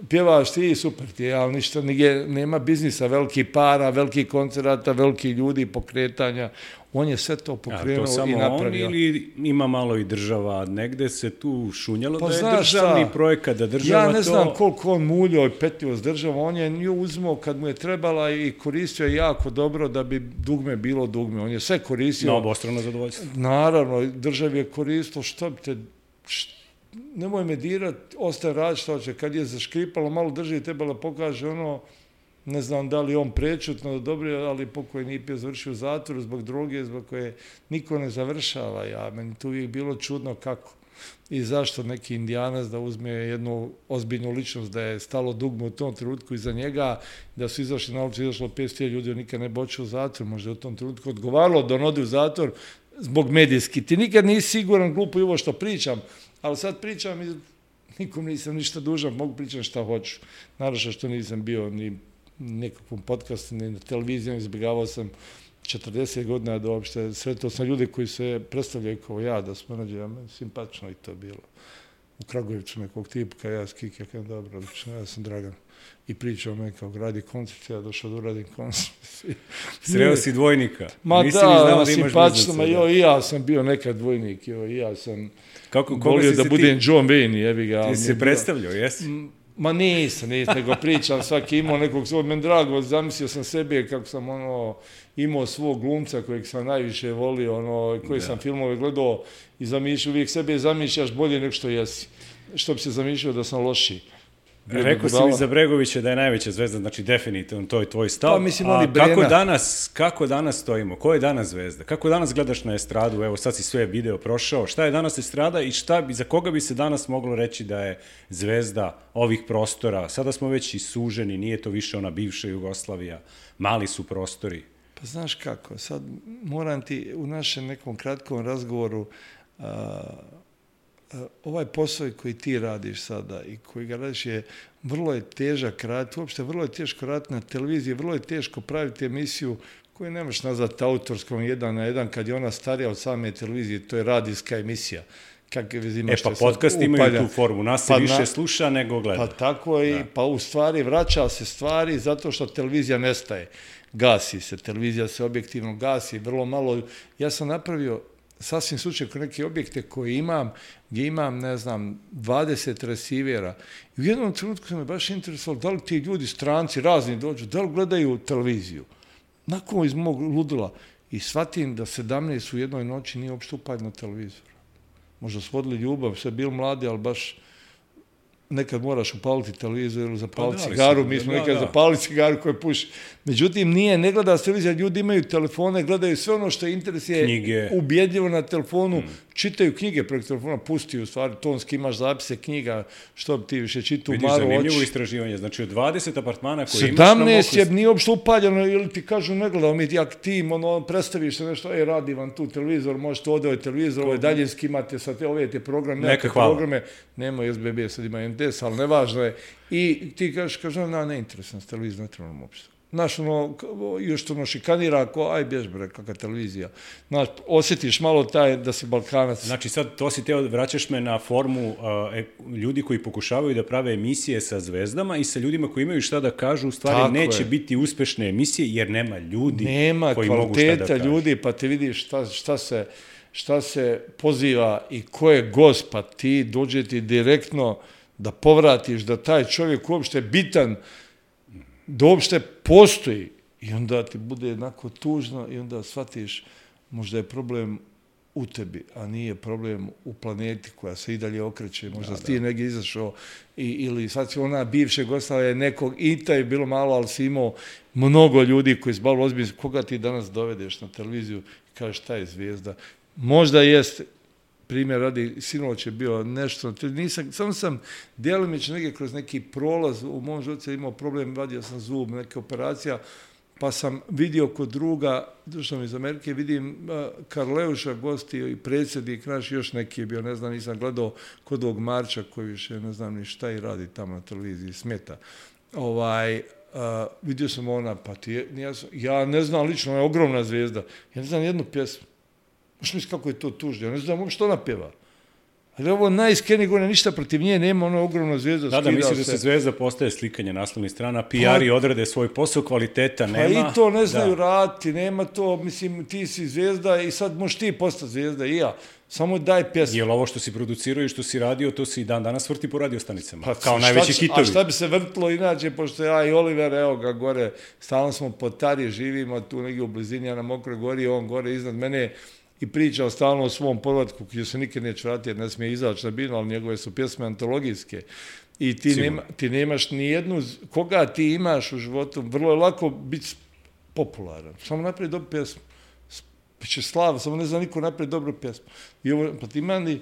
Pjevaš ti, super ti je, ali ništa, nije, nema biznisa, veliki para, veliki koncerata, veliki ljudi, pokretanja. On je sve to pokrenuo to i napravio. On ili ima malo i država? Negde se tu šunjalo pa da je državni šta? projekat, da država to... Ja ne to... znam koliko on muljao i petio s državom, on je nju uzmao kad mu je trebala i koristio jako dobro da bi dugme bilo dugme. On je sve koristio. Na obostrano zadovoljstvo. Naravno, državi je koristilo, što bi te... Što... Nemoj me dirat, ostaje rad što će. Kad je zaškripalo, malo drži, trebalo pokaže ono, ne znam da li on prečutno dobro, ali pokoj nije pio završio u zatvoru zbog droge, zbog koje niko ne završava. Ja, meni tu uvijek bilo čudno kako i zašto neki Indijanac da uzme jednu ozbiljnu ličnost, da je stalo dugme u tom trenutku iza njega, da su izašli na ulicu, izašlo petsto ljudi, on nikad ne bočio u zatvor, možda u tom trenutku odgovaralo da on ode u zatvor zbog medijski. Ti nikad nisi siguran, glupo i ovo što pričam, ali sad pričam i nikom nisam ništa dužan, mogu pričati šta hoću. Naravno što nisam bio ni nekakvom podcastu, ni na televiziji, izbjegavao sam četrdeset godina da uopšte sretao sam ljude koji se predstavljaju kao ja, da smo nađe, ja meni simpatično i to bilo. U Kragujevcu nekog tipa, kad ja skik, ja kažem, dobro, lično, ja sam Dragan. I pričao me kao gradi koncert, ja došao da uradim koncert. Sreo si dvojnika. Ma Nisi da, da, da simpatično, ma jo, i ja sam bio nekad dvojnik, jo, i ja sam Kako, volio da budem ti, John Wayne, jebi ga. Ti se predstavljao, jesi? Ma nisam, nisam, nego pričam, svaki imao nekog svog, meni drago, zamislio sam sebe kako sam ono, imao svog glumca kojeg sam najviše volio, ono, koji da. sam filmove gledao i zamišljao, uvijek sebe zamišljaš bolje nego što jesi. Što bi se zamišljao da sam lošiji. Rekao si mi za Bregovića da je najveća zvezda, znači definitivno to je tvoj stav. Pa, mislim, ali A kako Brena. danas, kako danas stojimo? Ko je danas zvezda? Kako danas gledaš na estradu? Evo sad si sve video prošao. Šta je danas estrada i šta bi, za koga bi se danas moglo reći da je zvezda ovih prostora? Sada smo već i suženi, nije to više ona bivša Jugoslavija. Mali su prostori. Pa znaš kako, sad moram ti u našem nekom kratkom razgovoru a, a, ovaj posao koji ti radiš sada i koji ga radiš je vrlo je težak raditi, uopšte vrlo je teško raditi na televiziji, vrlo je teško praviti emisiju koju ne možeš nazvati autorskom jedan na jedan kad je ona starija od same televizije, to je radijska emisija. Kakve veze ima E što pa sad podcast imaju upalja. tu formu, nas se Pa više na- sluša nego gleda. Pa tako i, pa u stvari vraća se stvari zato što televizija nestaje. Gasi se, televizija se objektivno gasi, vrlo malo. Ja sam napravio sasvim slučaj kod neke objekte koje imam, gdje imam, ne znam, dvadeset resivera. I u jednom trenutku sam me baš interesovalo da li ti ljudi, stranci, razni dođu, da li gledaju televiziju. Nakon iz mog ludila i shvatim da sedamnaest u jednoj noći nije uopšte upaljeno televizor. Možda su vodili ljubav, sve bili mladi, ali baš nekad moraš upaliti televizor ili zapaliti Pa da, cigaru, ali mi si- smo da, nekad da. zapalili cigaru koju puši. Međutim, nije, ne gleda se televizija, ljudi imaju telefone, gledaju sve ono što interes je Knjige. ubjedljivo na telefonu, čitaju knjige preko telefona, pusti u stvari, tonski imaš zapise knjiga, što bi ti više čitao u Vidiš, maru zanimljivo oči. istraživanje. Znači, od dvadeset apartmana koji imaš na sedamnaest je Moku... nije uopšte upaljeno ili ti kažu ne gledao mi jak tim, ono, predstaviš se nešto, ej, radi vam tu televizor, možete ovdje ovaj televizor, ovaj daljinski imate sad te, ove te programe, Neka neke hvala. programe, nema S B B, sad ima N D S, ali nevažno je. I ti kažeš, kažeš, na, ne interesan s televizijom, ne trebam uopšte. Znaš, ono, k- još to ono šikanira, ako, aj, bjež bre, kakva televizija. Znaš, osjetiš malo taj da si Balkanac. Znači sad to si teo, vraćaš me na formu uh, e, ljudi koji pokušavaju da prave emisije sa zvezdama i sa ljudima koji imaju šta da kažu, u stvari Tako neće je. biti uspešne emisije jer nema ljudi Nema koji mogu šta da kvaliteta kažu. ljudi, pa ti vidiš šta, šta, se, šta se poziva i ko je gost, pa ti dođe ti direktno da povratiš da taj čovjek uopšte bitan, da uopšte postoji. I onda ti bude jednako tužno i onda shvatiš možda je problem u tebi, a nije problem u planeti koja se i dalje okreće. Možda da, si ti negdje izašao i, ili sad si ona bivše Jugoslavije nekog, i taj je bilo malo, ali si imao mnogo ljudi koji su bavili ozbiljno. Koga ti danas dovedeš na televiziju i kažeš šta je zvijezda? Možda jest, primjer radi, sinoć je bio nešto, nisam, samo sam djelimično negdje kroz neki prolaz, u mom životu imao problem, vadio sam zub, neke operacija, pa sam vidio kod druga, došao mi iz Amerike, vidim uh, Karleuša gostio i predsjednik naš, još neki je bio, ne znam, nisam gledao kod ovog Marča koji više ne znam ni šta i radi tamo na televiziji, smeta. Ovaj, uh, vidio sam ona, pa ti je, ja, sam, ja ne znam lično, ona je ogromna zvijezda, ja ne znam jednu pjesmu. Možeš misli kako je to tužno, ja ne znam što ona pjeva. Ali ovo najiskrenije gore, ništa protiv nje, nema ona ogromna zvijezda. Da, da, skida misliš da se. se zvezda postaje slikanje naslovnih strana, P R-i odrade svoj posao, kvaliteta Pa nema. i to ne znaju da. raditi, nema to, mislim, ti si zvijezda i sad možeš ti postati zvijezda i ja. Samo daj pjesmu. Jel ovo što si producirao i što si radio, to si i dan danas vrti po radiostanicama, Pa, kao šta najveći će- hitovi. A šta bi se vrtilo inače, pošto ja i Oliver, evo ga gore, stalno smo po Tari, živimo tu negdje u blizini, ja na Mokroj gori, on gore iznad mene i pričao stalno o svom povratku, gdje se nikad neće vratiti jer ne smije izaći na binu, ali njegove su pjesme antologijske. I ti, nema, ti nemaš ni jednu, koga ti imaš u životu, vrlo je lako biti popularan. Samo napravi dobru pjesmu. Biće slava, samo ne zna niko napravi dobru pjesmu. I ovo, pa ti mani,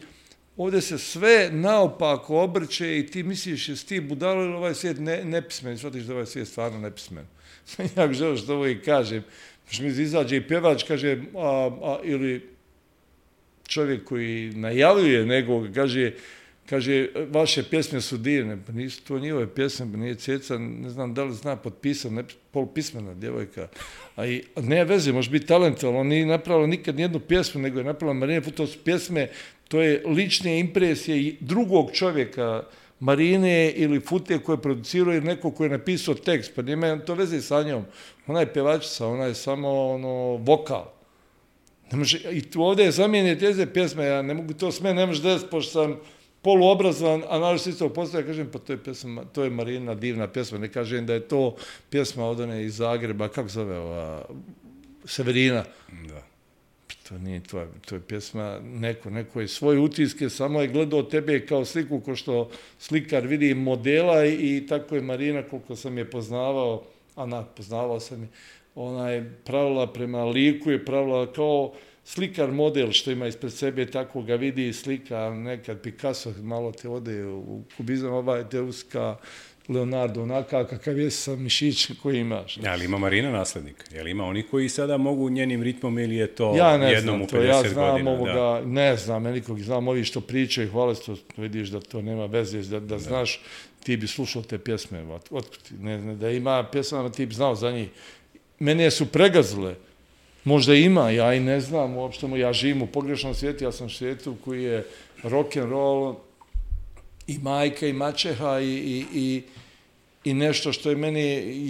ovdje se sve naopako obrće i ti misliš jesi ti budalo ili ovaj svijet ne, nepismen, shvatiš da ovaj svijet stvarno nepismen. Ja bih želeo što ovo i kažem. Što mi izađe i pjevač, kaže, a, a, ili čovjek koji najavljuje nekog, kaže, kaže, vaše pjesme su divne, pa nisu to njihove pjesme, pa nije Ceca, ne znam da li zna potpisan, ne, polupismena djevojka. A i, ne veze, može biti talentovan, on nije napravila nikad nijednu pjesmu, nego je napravila Marine Fut, to su pjesme, to je lične impresije drugog čovjeka, Marine ili Fute koje produciraju ili neko koji je napisao tekst, pa nema to veze sa njom. Ona je pjevačica, ona je samo ono, vokal. Ne može, i tu ovdje je zamijene teze pjesme, ja ne mogu to sve, ne može desiti, pošto sam poluobrazovan, a naravno istog postavlja, kažem, pa to je, pjesma, to je Marina divna pjesma, ne kažem da je to pjesma od one iz Zagreba, kako zove ova, Severina. Da. to nije tvoja, to je pjesma, neko, neko je svoje utiske, samo je gledao tebe kao sliku, ko što slikar vidi modela i, i tako je Marina, koliko sam je poznavao, Ana, poznavao sam je, ona je pravila prema liku, je pravila kao slikar model što ima ispred sebe, tako ga vidi slika, nekad Picasso malo te ode u kubizam, ovaj Deuska, Leonardo, onaka kakav je sa mišićem koji imaš. Ja, ali ima Marina naslednik? Je li ima oni koji sada mogu njenim ritmom ili je to ja ne jednom znam u to, pedeset ja znam godina? ovoga, Da. ne znam, ja nikog znam, ovi što pričaju, hvale što vidiš da to nema veze, da, da znaš, ti bi slušao te pjesme, ot, otkud ti, ne, ne, da ima pjesama, ti bi znao za njih. Mene su pregazile, možda ima, ja i ne znam, uopšte ja živim u pogrešnom svijetu, ja sam u svijetu koji je rock and roll i majka i maćeha i, i, i i nešto što je meni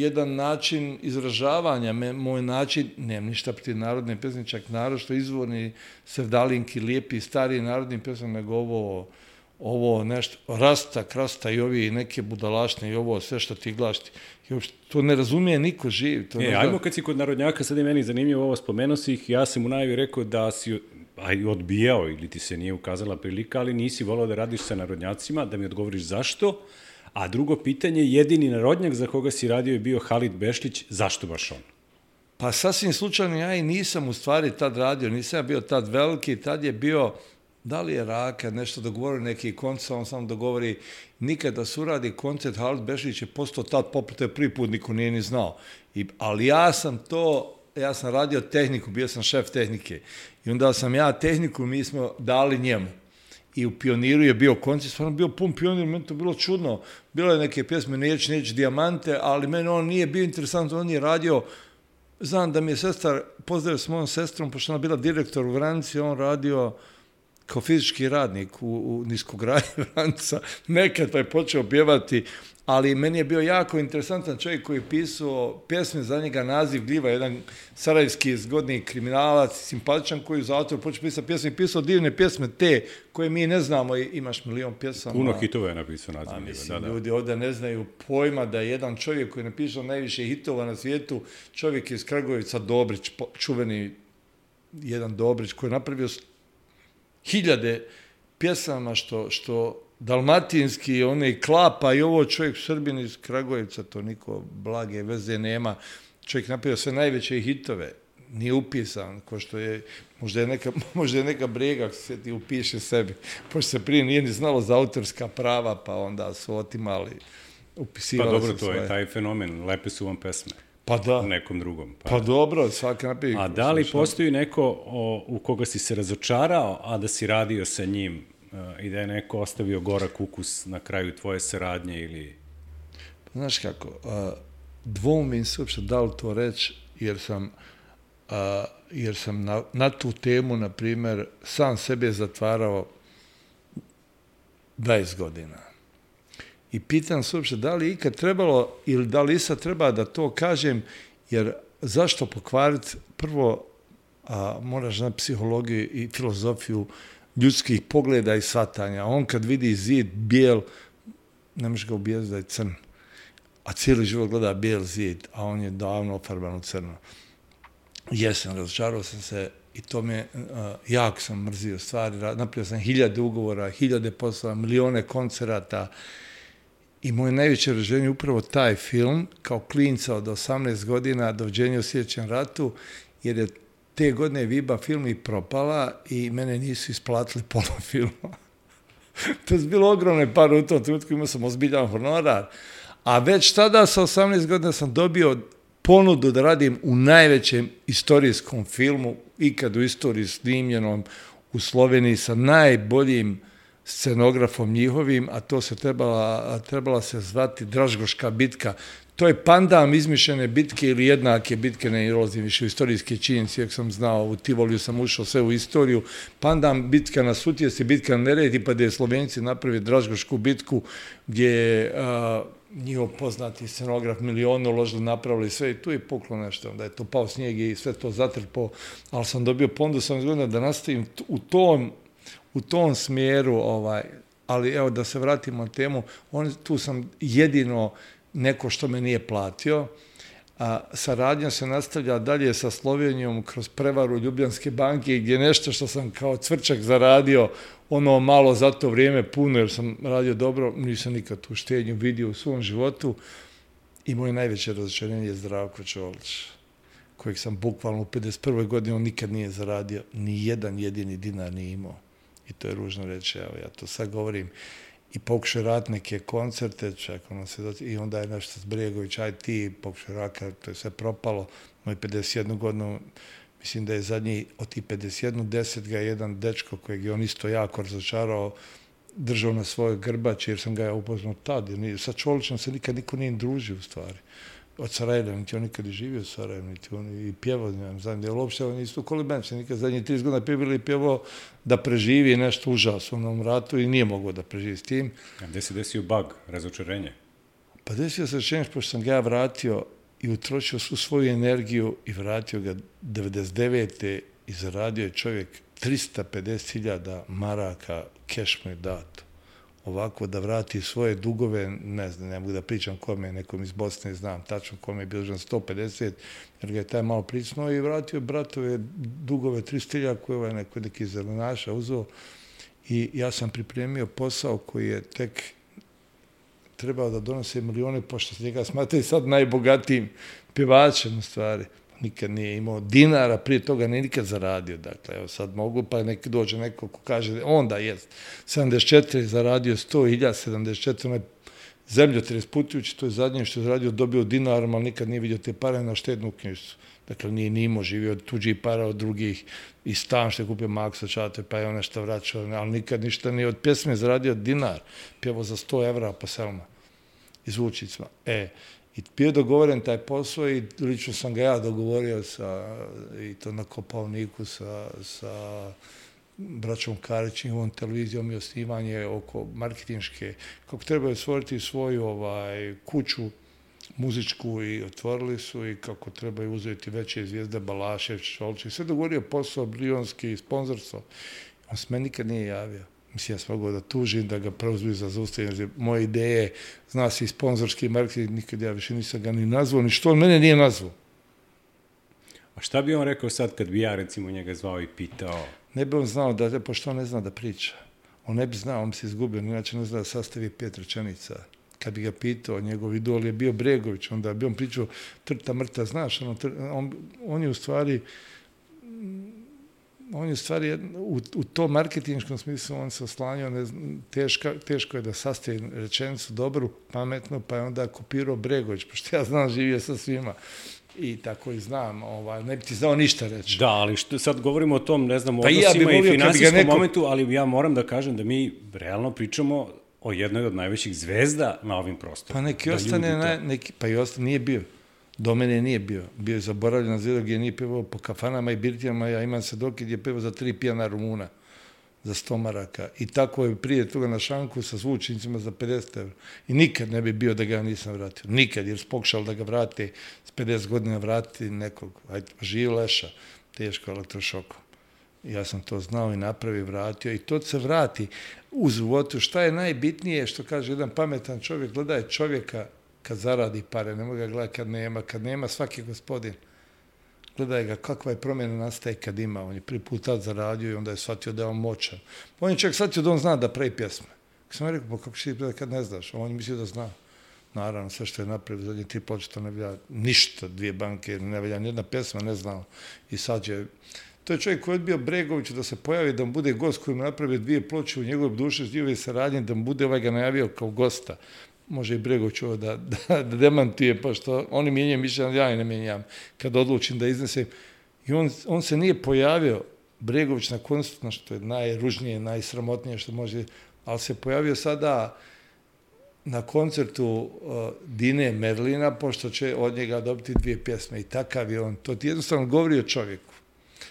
jedan način izražavanja, me, moj način, nemam ništa protiv narodne pjesme, čak narod što izvorni sevdalinki, lijepi, stari narodni pjesme, nego ovo, ovo nešto, rasta, krasta i ovi neke budalašne i ovo, sve što ti glašti. To ne razumije niko živ. To e, ne ajmo zna... kad si kod narodnjaka, sad je meni zanimljivo ovo, spomenuo si ih, ja sam u najavi rekao da si aj, odbijao ili ti se nije ukazala prilika, ali nisi volao da radiš sa narodnjacima, da mi odgovoriš zašto. A drugo pitanje, jedini narodnjak za koga si radio je bio Halid Bešlić, zašto baš on? Pa sasvim slučajno, ja i nisam u stvari tad radio, nisam ja bio tad veliki, tad je bio, da li je Raka, nešto dogovorio neki koncert, on sam dogovori, nikada se uradi koncert, Halid Bešlić je postao tad poput, to je prvi put, niko nije ni znao. I, ali ja sam to, ja sam radio tehniku, bio sam šef tehnike. I onda sam ja tehniku, mi smo dali njemu. I u Pioniru je bio koncert, stvarno bio pun Pionir, meni to bilo čudno. Bilo je neke pjesme, Neć, Neć, Dijamante, ali meni on nije bio interesantno, on je radio, znam da mi je sestar, pozdravio s mojom sestrom, pošto ona bila direktor u Vranci, on radio kao fizički radnik u, u niskogradnji Vranca, nekad pa je počeo pjevati, ali meni je bio jako interesantan čovjek koji je pisao pjesme, za njega naziv Gljiva, jedan sarajevski zgodni kriminalac, simpatičan koji u zatvoru počeo pisati pjesme i pisao divne pjesme te koje mi ne znamo, imaš milion pjesama. Puno hitova je napisao naziv Gljiva. Mislim, da, da. ljudi ovdje ne znaju pojma da je jedan čovjek koji je napisao najviše hitova na svijetu, čovjek iz Kragujevica, Dobrić, čuveni jedan Dobrić koji je napravio hiljade pjesama što, što dalmatinski, one klapa i ovo čovjek Srbin iz Kragujevca, to niko blage veze nema. Čovjek napravio sve najveće hitove, nije upisan, ko što je, možda je neka, možda je neka brega se ti upiše sebi, pošto se prije nije ni znalo za autorska prava, pa onda su otimali, upisivali pa dobro, se to svoje. je taj fenomen, lepe su vam pesme. Pa da. U nekom drugom. Pa, pa dobro, svaki napravi. A da li postoji neko o, u koga si se razočarao, a da si radio sa njim uh, i da je neko ostavio gorak ukus na kraju tvoje saradnje ili... Znaš kako, uh, dvoumim se uopšte da li to reći, jer sam, uh, jer sam na, na tu temu, na primjer, sam sebe zatvarao dvadeset godina. I pitam se uopšte da li ikad trebalo ili da li sad treba da to kažem, jer zašto pokvariti prvo, a, moraš znati psihologiju i filozofiju ljudskih pogleda i shvatanja. On kad vidi zid bijel, ne može ga ubijeti da je crn, a cijeli život gleda bijel zid, a on je davno ofarban u crno. Jesam, razočarao sam se i to me, uh, jako sam mrzio stvari, napravio sam hiljade ugovora, hiljade poslova, milione koncerata. I moje najveće raženje je upravo taj film, kao klinca od osamnaest godina, Doviđenja u sljedećem ratu, jer je te godine Viba film i propala i mene nisu isplatili pola filma. To je bilo ogromne pare u tom trenutku, imao sam ozbiljan honorar. A već tada sa osamnaest godina sam dobio ponudu da radim u najvećem istorijskom filmu, ikad u istoriji snimljenom u Sloveniji sa najboljim scenografom njihovim, a to se trebala, trebala se zvati Dražgoška bitka. To je pandam izmišljene bitke ili jednake bitke, ne ulazim više u istorijske činjenice, jak sam znao, u Tivoliju sam ušao sve u istoriju. Pandam bitka na Sutjesi, bitka na Neretvi, pa da je Slovenci napravili Dražgošku bitku, gdje je uh, njihov poznati scenograf milionu uložili, napravili sve i tu je puklo nešto, da je to pao snijeg i sve to zatrpao, ali sam dobio ponudu sam izgledao da nastavim u tom u tom smjeru, ovaj, ali evo da se vratimo na temu, on, tu sam jedino neko što me nije platio, a saradnja se nastavlja dalje sa Slovenijom kroz prevaru Ljubljanske banke, gdje nešto što sam kao cvrčak zaradio, ono malo za to vrijeme puno, jer sam radio dobro, nisam nikad tu štednju vidio u svom životu. I moje najveće razočarenje je Zdravko Čolić, kojeg sam bukvalno u pedeset prvoj godini, on nikad nije zaradio, ni jedan jedini dinar nije imao. I to je ružno reći, evo ja to sad govorim. I pokušao raditi neke koncerte, čak ono se doći, i onda je nešto s Bregović, aj ti, pokušao raka, to je sve propalo. Moj pedeset jednu godinu, mislim da je zadnji od tih pedeset jednu, deset ga je jedan dečko kojeg je on isto jako razočarao, držao na svojoj grbači, jer sam ga ja upoznao tad. Jer sa Čolićem se nikad niko nije družio u stvari. Od Sarajeva, niti on nikad je živio u Sarajevu, niti on i pjevao, ne znam, jer uopšte on isto kolibenč, nikad zadnjih trideset godina pjevali i pjevao da preživi nešto užasno u onom ratu i nije mogao da preživi s tim. A gde se desio bug, razočarenje? Pa desio se razočarenje, pošto sam ga ja vratio i utrošio svu svoju energiju i vratio ga devedeset devete i zaradio je čovjek trista pedeset hiljada maraka, keš mu je dato. Ovako da vrati svoje dugove, ne znam, ne mogu da pričam kome, nekom iz Bosne, znam tačno kome je bio dužan sto pedeset, jer ga je taj malo pricnuo i vratio bratove dugove tristo hiljada koje ovaj neko neki zelenaša uzeo. I ja sam pripremio posao koji je tek trebao da donose milione, pošto se njega smatraju sad najbogatijim pjevačem u stvari. Nikad nije imao dinara, prije toga nije nikad zaradio. Dakle, evo sad mogu, pa neki dođe neko ko kaže, onda jest, sedamdeset četiri zaradio sto hiljada, sedamdeset četiri, onaj zemljotres putujući, to je zadnje što je zaradio, dobio dinarom, ali nikad nije vidio te pare na štednu knjižicu. Dakle, nije ni imao, živio od tuđih para, od drugih, i stan što je kupio Maksa Čate, pa je on nešto vraćao, ali nikad ništa nije od pjesme zaradio dinar, pjevao za sto evra po selima, iz Vučicima. E, i bio je dogovoren taj posao i lično sam ga ja dogovorio sa, i to na Kopaoniku sa, sa braćom Karić, njihovom televizijom i osnivanje oko marketinške, kako trebaju stvoriti svoju ovaj, kuću muzičku i otvorili su i kako trebaju uzeti veće zvijezde Balašević, Čolić i sve dogovorio posao, blionski, sponzorstvo. On se meni nikad nije javio. Mislim, ja sam mogao da tužim, da ga preuzmi za zaustavljanje. Moje ideje, zna se i sponzorski marketing, nikad ja više nisam ga ni nazvao, ni što on mene nije nazvao. A šta bi on rekao sad kad bi ja recimo njega zvao i pitao? Ne bi on znao, da, pošto on ne zna da priča. On ne bi znao, on bi se izgubio, inače ne zna da sastavi pet rečenica. Kad bi ga pitao, njegov idol je bio Bregović, onda bi on pričao trta mrta, znaš, ono, tr, on, on je u stvari... On je u stvari, u, u tom marketinškom smislu, on se oslanjao, ne, teška, teško je da sastavi rečenicu dobru, pametnu, pa je onda kopirao Bregović, pošto ja znam, živio sa svima. I tako i znam, ovaj, ne bi ti znao ništa reći. Da, ali što, sad govorimo o tom, ne znam, pa odnosima ja i finansijskom neko... momentu, ali ja moram da kažem da mi realno pričamo o jednoj od najvećih zvezda na ovim prostorima. Pa neki da ostane, na, neki, pa i ostane, nije bio. Do mene nije bio. Bio je zaboravljen na zvijedu gdje nije pevao po kafanama i birtijama. Ja imam se dok je pevao za tri pijana Rumuna, za sto maraka. I tako je prije toga na šanku sa zvučnicima za pedeset evra. I nikad ne bi bio da ga nisam vratio. Nikad, jer pokušao da ga vrati s pedeset godina vrati nekog. Ajde, živ leša, teško elektrošokom. Ja sam to znao i napravio, vratio. I to se vrati u životu. Šta je najbitnije, što kaže jedan pametan čovjek, gledaj čovjeka kad zaradi pare, ne mogu ga gledati kad nema. Kad nema, svaki gospodin. Gledaj ga, kakva je promjena nastaje kad ima. On je prvi put tad zaradio i onda je shvatio da je on moćan. On je čak shvatio da on zna da pravi pjesme. Kad sam rekao, pa kako će ti kad ne znaš? On je mislio da zna. Naravno, sve što je napravio, zadnje tri ploče, ne velja ništa, dvije banke, ne velja nijedna pjesma, ne znao. I sad je... To je čovjek koji je odbio Bregoviću da se pojavi, da mu bude gost koji mu napravio dvije ploče u njegovoj duši, njegove saradnje, da mu bude ovaj ga najavio kao gosta. Može i Bregović ovo da, da, da demantuje, pošto oni mijenjaju mišljenje, ja i ne mijenjam, kad odlučim da iznesem. I on, on se nije pojavio, Bregović na koncertu, što je najružnije, najsramotnije što može, ali se pojavio sada na koncertu uh, Dine Merlina, pošto će od njega dobiti dvije pjesme. I takav je on. To ti jednostavno govori o čovjeku.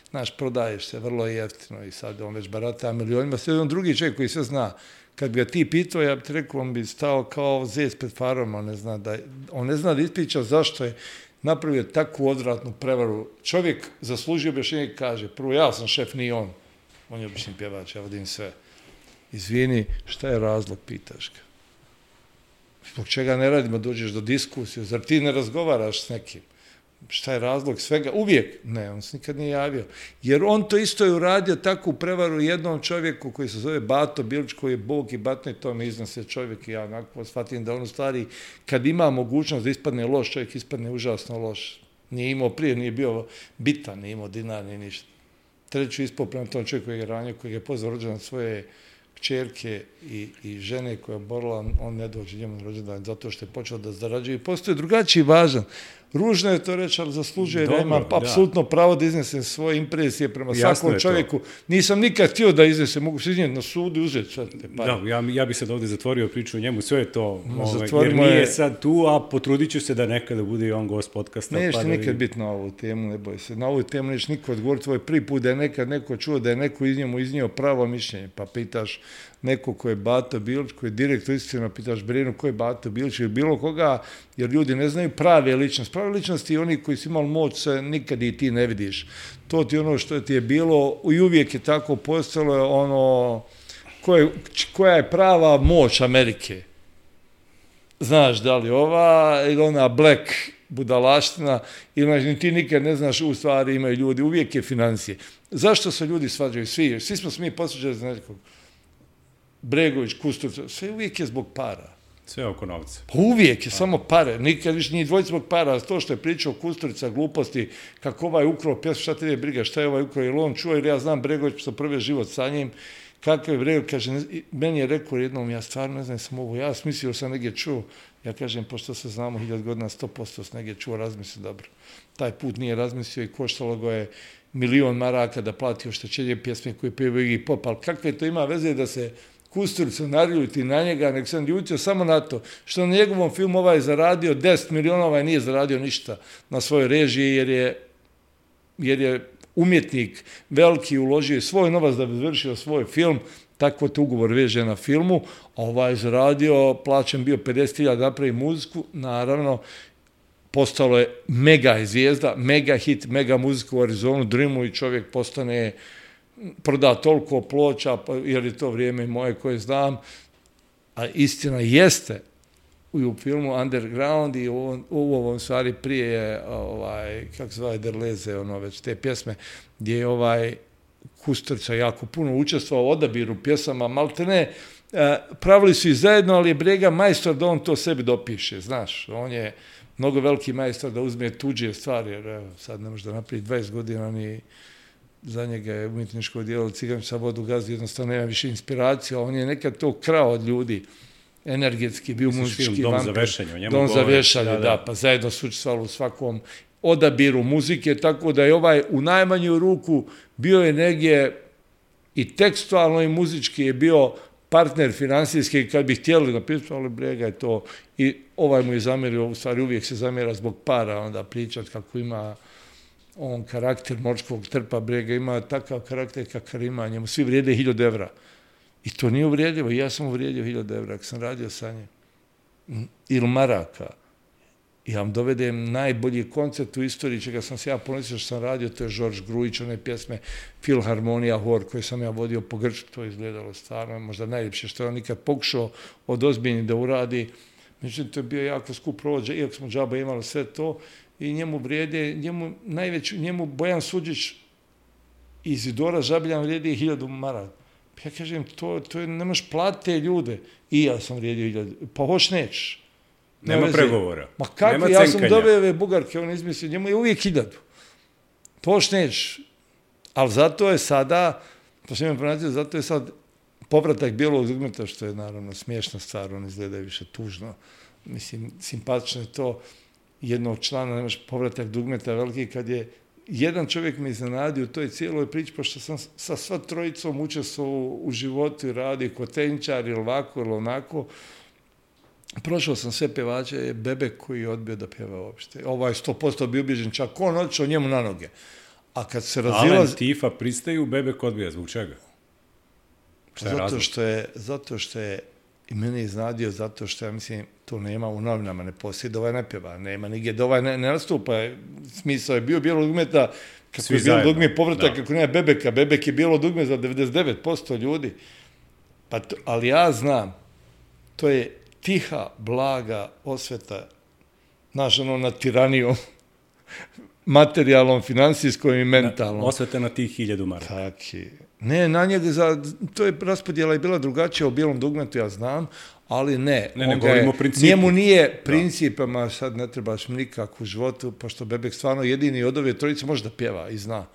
Znaš, prodaješ se vrlo jeftino i sad on već barata milionima. Sve on drugi čovjek koji sve zna. Kad bi ga ti pitao, ja bih rekao, on bi stao kao zec pred farom, on ne zna da, on ne zna da ispriča zašto je napravio takvu odvratnu prevaru. Čovjek zaslužio objašnjenje i kaže, prvo, ja sam šef, nije on. On je obični pjevač, ja vodim sve. Izvini, šta je razlog, pitaš ga. Zbog čega ne radimo, dođeš do diskusije, zar ti ne razgovaraš s nekim? šta je razlog svega, uvijek, ne, on se nikad nije javio. Jer on to isto je uradio takvu prevaru jednom čovjeku koji se zove Bato Bilić, koji je Bog i Batno i to me iznose čovjek i ja onako shvatim da on u stvari, kad ima mogućnost da ispadne loš, čovjek ispadne užasno loš. Nije imao prije, nije bio bitan, nije imao dinar, nije ništa. Treću ispao prema tom čovjeku koji je ranio, koji je pozvao rođendan svoje kćerke i, i žene koja je borila, on ne dođe njemu na rođendan zato što je počeo da zarađuje. Postoje drugačiji važan. Ružno je to reći, ali zaslužuje da ima apsolutno pravo da iznese svoje impresije prema Jasno svakom čovjeku. To. Nisam nikad htio da iznese, mogu se iznijeti na sudu i uzeti sve te pare. Da, ja, ja bi sad ovdje zatvorio priču o njemu, sve je to, no, ovaj, jer nije je... sad tu, a potrudit ću se da nekada bude i on gost podcasta. Neće pa nikad vidim. biti na ovu temu, ne boj se. Na ovu temu neće niko odgovoriti, tvoj prvi put da je nekad neko čuo, da je neko iz njemu iznio pravo mišljenje, pa pitaš neko ko je Bato Bilić, koji je direktor istina, pitaš Brenu ko je Bato Bilić ili bilo koga, jer ljudi ne znaju prave ličnosti. Prave ličnosti i oni koji su imali moć se nikad i ti ne vidiš. To ti ono što ti je bilo i uvijek je tako postalo ono koje, koja je prava moć Amerike. Znaš da li ova ili ona black budalaština ili ti nikad ne znaš u stvari imaju ljudi, uvijek je financije. Zašto se ljudi svađaju? Svi, svi smo mi posvađali za nekog. Bregović, Kusturica, sve uvijek je zbog para. Sve oko novca. Pa uvijek je pa. Samo pare, nikad više nije dvojica zbog para, to što je pričao Kusturica, gluposti, kako ovaj ukrao pjesmu, šta te je briga, šta je ovaj ukrao, jer on čuo, jer ja znam Bregović, što prvi život sa njim, kakav je Bregović, kaže, ne, meni je rekao jednom, ja stvarno ne znam sam ovo, ja smislio sam negdje čuo, ja kažem, pošto se znamo hiljad godina, sto posto sam negdje čuo, razmislio dobro. Taj put nije razmislio i koštalo go je milion maraka da plati oštećenje pjesme koje pjeva Iggy Pop, ali kakve to ima veze da se Kusturica narljuti na njega, nek sam ljutio samo na to što na njegovom filmu ovaj zaradio deset miliona, ovaj nije zaradio ništa na svojoj režiji jer je, jer je umjetnik veliki uložio svoj novac da bi završio svoj film, tako to ugovor veže na filmu, a ovaj zaradio, plaćen bio pedeset hiljada napravi muziku, naravno postalo je mega zvijezda, mega hit, mega muzika u Arizonu, Dreamu i čovjek postane proda toliko ploča, jer je to vrijeme moje koje znam, a istina jeste u filmu Underground i u ovom, u ovom stvari prije je, ovaj, kako se zove, Derleze, ono već te pjesme, gdje je ovaj Kusturica jako puno učestvovao u odabiru pjesama, maltene, pravili su i zajedno, ali je Brega majstor da on to sebi dopiše, znaš, on je mnogo veliki majstor da uzme tuđe stvari, jer evo, sad ne može da napravi dvadeset godina ni za njega je umjetničko djelo Cigančica vodu gazdi, jednostavno nema više inspiracija, on je nekad to krao od ljudi, energetski, bio muzički Dom vampir. za vešanje, o njemu Dom za govori. vešanje, da, da, da, da, pa zajedno su učestvovali u svakom odabiru muzike, tako da je ovaj u najmanju ruku bio je negdje i tekstualno i muzički je bio partner finansijski, kad bi htjeli napisati, ali Brega je to, i ovaj mu je zamjerio, u stvari uvijek se zamjera zbog para, onda pričat kako ima on karakter morskog trpa, Brega ima takav karakter kakav ima, njemu svi vrijede hiljad evra. I to nije uvrijedljivo, ja sam uvrijedio hiljad evra, ako sam radio sa njim. Ili maraka. Ja vam dovedem najbolji koncert u istoriji, čega sam se ja ponosio što sam radio, to je Žorž Grujić, one pjesme Filharmonija Hor, koje sam ja vodio po Grčku, to je izgledalo stvarno, možda najljepše što je on nikad pokušao od ozbiljnih da uradi. Međutim, to je bio jako skup provod, iako smo džaba imali sve to, i njemu vrijede, njemu najveći, njemu Bojan Suđić iz Izidora Žabiljan vrijedi hiljadu maraka. Ja kažem, to, to je, nemaš plate ljude. I ja sam vrijedio hiljadu. Pa hoć nećeš. Nema veze. pregovora. Ma kako, ja sam dobio ove bugarke, on izmislio, njemu je uvijek hiljadu. To hoć nećeš. Ali zato je sada, pa što imam pronaći, zato je sad povratak bijelog dugmeta, što je naravno smiješna stvar, on izgleda više tužno. Mislim, simpatično je to jednog člana, nemaš povratak dugmeta veliki, kad je jedan čovjek me iznenadio u toj cijeloj priči, pošto sam sa sva trojicom učestvovao u životu i radio kod tenčar ili ovako ili onako. Prošao sam sve pevače, je Bebek koji je odbio da pjeva uopšte. Ovaj sto posto bio ubijeđen, čak on odšao njemu na noge. A kad se razilaz... Alen, Tifa pristaju, Bebek odbija. Zbog čega? Šta je zato razlog? što je, zato što je i mene iznadio, zato što ja mislim, to nema u novinama, ne postoji da ovaj ne pjeva, nema nigdje da ovaj ne, ne nastupa. Smisao je bio bijelo dugmeta, kako Svi je bilo zajedno. dugme povratak, Da. kako nema Bebeka. Bebek je bilo dugme za devedeset devet posto ljudi. Pa to, ali ja znam, to je tiha, blaga osveta, znaš, ono, nad tiranijom. materijalnom, financijskom i mentalnom. Osveta na tih hiljadu maraka. Taki. Ne, na njega, za, to je raspodjela je bila drugačija u Bijelom dugmetu, ja znam, ali ne. Ne, ne govorimo o principu. Njemu nije principama, sad ne trebaš mi nikak u životu, pošto Bebek stvarno jedini od ove trojice može da pjeva i zna.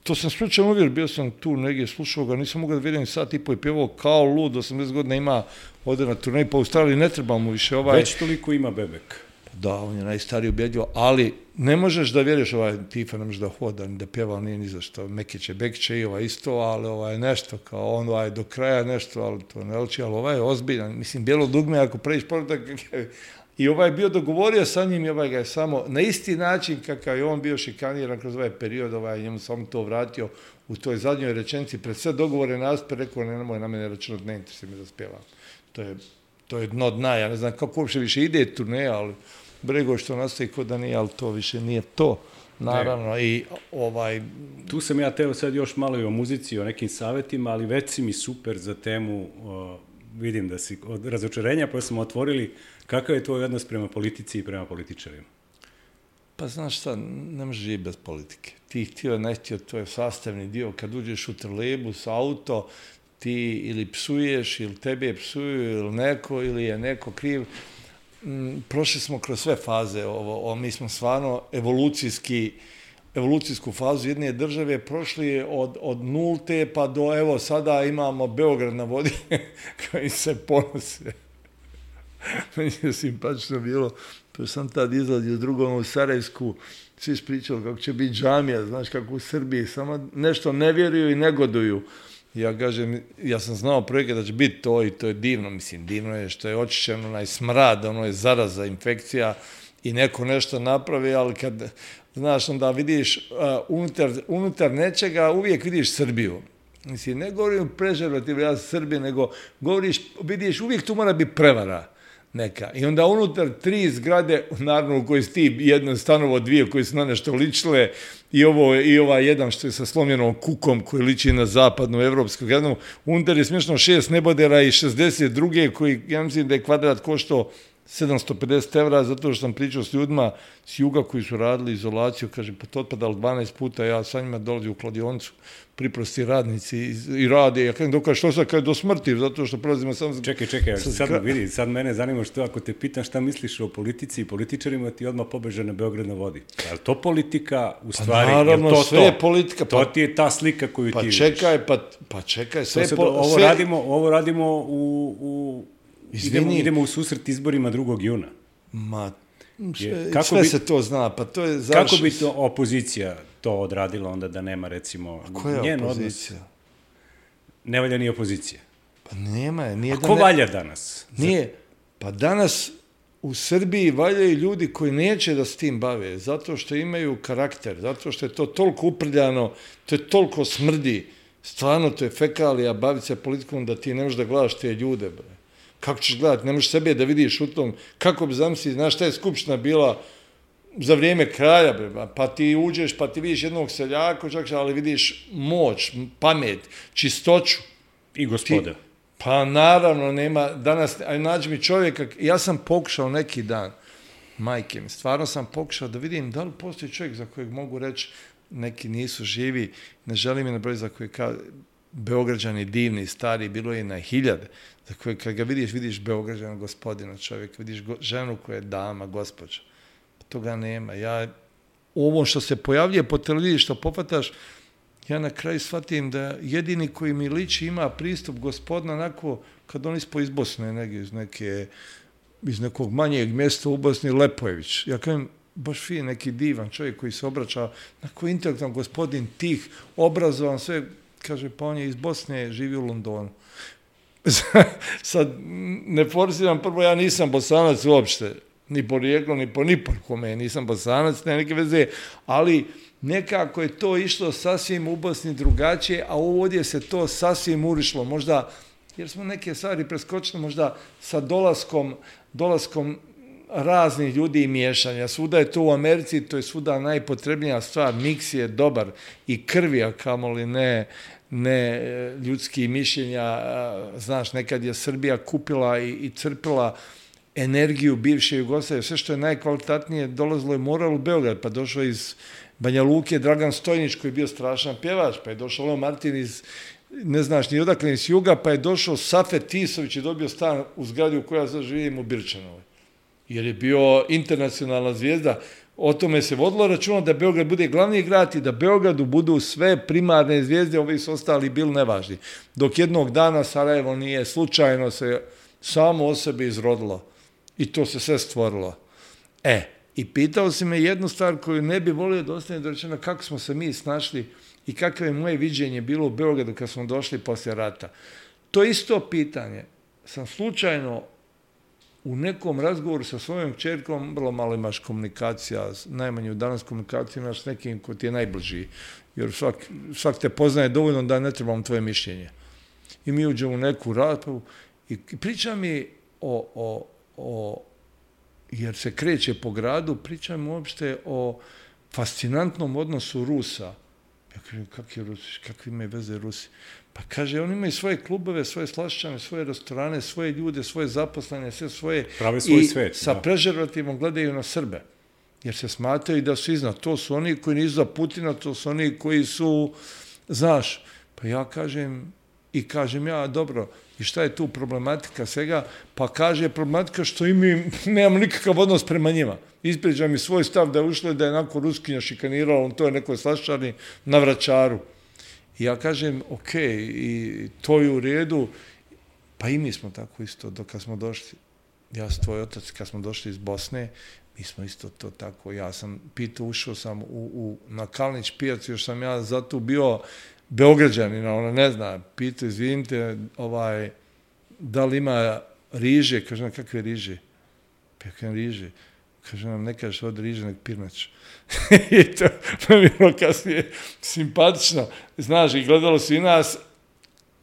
To sam slučajno uvjer, bio sam tu negdje, slušao ga, nisam mogao da vidim sat i po i pjevao kao lud, osamdeset godina ima, ode na turnej po Australiji, ne treba mu više ovaj... Već toliko ima Bebek. Da, on je najstariji ubjedljivo, ali ne možeš da vjeriš ovaj Tifa, ne možeš da hoda, ni da pjeva, nije ni za što. Mekiće, Bekiće i ovaj isto, ali ovaj nešto, kao on ovaj do kraja nešto, ali to ne liči, ali ovaj je ozbiljan. Mislim, Bijelo dugme, ako pređeš povrtak, i ovaj je bio dogovorio sa njim i ovaj ga je samo na isti način kakav je on bio šikaniran kroz ovaj period, ovaj njemu samo to vratio u toj zadnjoj rečenici, pred sve dogovore naspe, rekao, ne, nemoj na mene računati, ne interesuje me da spjevam. To je, to je dno dna, ja ne znam kako uopće više ide turneja, ali Brego što nastaje kod da nije, ali to više nije to, naravno. Ne. I ovaj... Tu sam ja teo sad još malo i o muzici, o nekim savjetima, ali već si mi super za temu, o, vidim da si od razočarenja, pa smo otvorili kakav je tvoj odnos prema politici i prema političarima. Pa znaš šta, ne možeš živjeti bez politike. Ti htio, ne htio, to je sastavni dio. Kad uđeš u trolejbus, auto, ti ili psuješ, ili tebe psuju, ili neko, ili je neko kriv. Prošli smo kroz sve faze, ovo, o, mi smo stvarno evolucijski, evolucijsku fazu jedne države prošli od, od nulte pa do, evo, sada imamo Beograd na vodi koji se ponose. Meni je simpatično bilo, pa sam tad izlazio drugom u Sarajevsku, svi ispričali kako će biti džamija, znaš, kako u Srbiji, samo nešto ne vjeruju i negoduju. Ja kažem, ja sam znao projekat da će biti to i to je divno, mislim, divno je što je očišćen onaj smrad, ono je zaraza, infekcija i neko nešto napravi, ali kad, znaš, onda vidiš uh, unutar, unutar nečega uvijek vidiš Srbiju. Mislim, ne govorim prežerativno, ja sam Srbije, nego govoriš, vidiš, uvijek tu mora biti prevara neka. I onda unutar tri zgrade, naravno u kojoj si ti jedno stanovo, dvije koji su na nešto ličile, i ovo i ova jedan što je sa slomljenom kukom koji liči na zapadnu evropsku gradu, unutar je smješno šest nebodera i šezdeset druge koji, ja mislim da je kvadrat koštao sedamsto pedeset evra, zato što sam pričao s ljudima s juga koji su radili izolaciju, kaže, pa to otpadalo dvanaest puta, ja sa njima dolazim u kladionicu, priprosti radnici i, i rade, ja kažem, dokaž, što sad kaže, do smrti, zato što prolazimo sam... Čekaj, čekaj, sad, sad vidi, sad mene zanima što, ako te pitam šta misliš o politici i političarima, ti odmah pobeže na Beograd na vodi. Je li to politika u stvari? Pa naravno, to sve to? je politika. To ti je ta slika koju pa ti čekaj, pa, pa čekaj, sve je... Po, po, ovo, sve... radimo, ovo radimo u... u idemo, idemo u susret izborima drugog juna. Ma, je, sve, sve bi, se to zna, pa to je završ... Kako bi to opozicija to odradila onda da nema, recimo, koja njen opozicija? Odnos? Ne valja ni opozicija. Pa nema je. Nije A da ko ne... valja danas? Nije. Pa danas u Srbiji valjaju ljudi koji neće da s tim bave, zato što imaju karakter, zato što je to toliko uprljano, to je toliko smrdi, stvarno to je fekalija, baviti se politikom da ti ne možeš da gledaš te ljude, bre. Kako ćeš gledati? Ne možeš sebe da vidiš u tom. Kako bi zamisli, znaš šta je skupština bila za vrijeme kralja, bre, pa ti uđeš, pa ti vidiš jednog seljaka, čak, ali vidiš moć, pamet, čistoću. I gospoda. Ti, pa naravno, nema, danas, aj nađi mi čovjeka, ja sam pokušao neki dan, majke mi, stvarno sam pokušao da vidim da li postoji čovjek za kojeg mogu reći, neki nisu živi, ne želim je na broj za koje kao Beograđani divni, stari, bilo je na hiljade, za koje kad ga vidiš, vidiš Beograđana gospodina čovjeka, vidiš go, ženu koja je dama, gospođa. Toga nema. Ja, ovo što se pojavljuje po televiziji, što popataš, ja na kraju shvatim da jedini koji mi liči ima pristup gospodina onako, kad on ispo iz Bosne, negdje, iz, neke, iz nekog manjeg mjesta u Bosni, Lepojević. Ja kažem, baš fin, neki divan čovjek koji se obraća, onako intelektualan gospodin, tih, obrazovan, sve, kaže, pa on je iz Bosne, živi u Londonu. Sad, ne forsiram, prvo, ja nisam Bosanac uopšte, ni porijeklo, ni po ni po kome, nisam Bosanac, ne neke veze, ali nekako je to išlo sasvim u Bosni drugačije, a ovdje se to sasvim urišlo, možda, jer smo neke stvari preskočili, možda sa dolaskom, dolaskom raznih ljudi i miješanja. Svuda je to u Americi, to je svuda najpotrebnija stvar, miks je dobar i krvi, a kamoli ne, ne ljudski mišljenja, znaš, nekad je Srbija kupila i, i crpila energiju bivše Jugoslavije, sve što je najkvalitatnije dolazilo je moral u Beograd, pa došao iz Banja Luke Dragan Stojnić koji je bio strašan pjevač, pa je došao Leo Martin iz, ne znaš ni odakle, iz Juga, pa je došao Safet Tisović i dobio stan u zgradi u kojoj ja sad živim u Birčanovoj. Jer je bio internacionalna zvijezda. O tome se vodilo računa da Beograd bude glavni grad i da Beogradu budu sve primarne zvijezde, ovi su ostali bili nevažni. Dok jednog dana Sarajevo nije slučajno se samo o sebi izrodilo. I to se sve stvorilo. E, i pitao si me jednu stvar koju ne bi volio da ostane dorečena, kako smo se mi snašli i kakvo je moje viđenje bilo u Beogradu kad smo došli poslije rata. To isto pitanje sam slučajno u nekom razgovoru sa svojom kćerkom, vrlo malo imaš komunikacija, najmanje u danas komunikaciju imaš s nekim ko ti je najbliži, jer svak, svak te poznaje dovoljno da ne trebam tvoje mišljenje. I mi uđemo u neku raspravu i priča mi o, o, o, jer se kreće po gradu, priča mi uopšte o fascinantnom odnosu Rusa. Ja kažem, kakvi Rusi, kakvi imaju veze Rusi? Pa kaže, oni imaju svoje klubove, svoje slašćane, svoje restorane, svoje ljude, svoje zaposlene, sve svoje. Prave svoj i svet. Sa da. prežervativom gledaju na Srbe. Jer se smatraju da su iznad. To su oni koji nisu za Putina, to su oni koji su, znaš, pa ja kažem, i kažem ja, dobro, i šta je tu problematika svega? Pa kaže, problematika što i mi nemamo nikakav odnos prema njima. Ispriča mi svoj stav da je ušlo da je onako Ruskinja šikanirala, on to je nekoj slaščani na Vračaru. I ja kažem, ok, i to je u redu, pa i mi smo tako isto, dok kad smo došli, ja sam tvoj otac, kad smo došli iz Bosne, mi smo isto to tako, ja sam pitao, ušao sam u, u, na Kalnić pijac, još sam ja zato bio Beograđanin, ona ne zna, pitao, izvinite, ovaj, da li ima riže, kaže nam, kakve riže? Pa ja kažem, riže. Kaže nam, ne kažeš od riže, nek pirnač. I to je bilo kasnije simpatično. Znaš, i gledalo svi nas,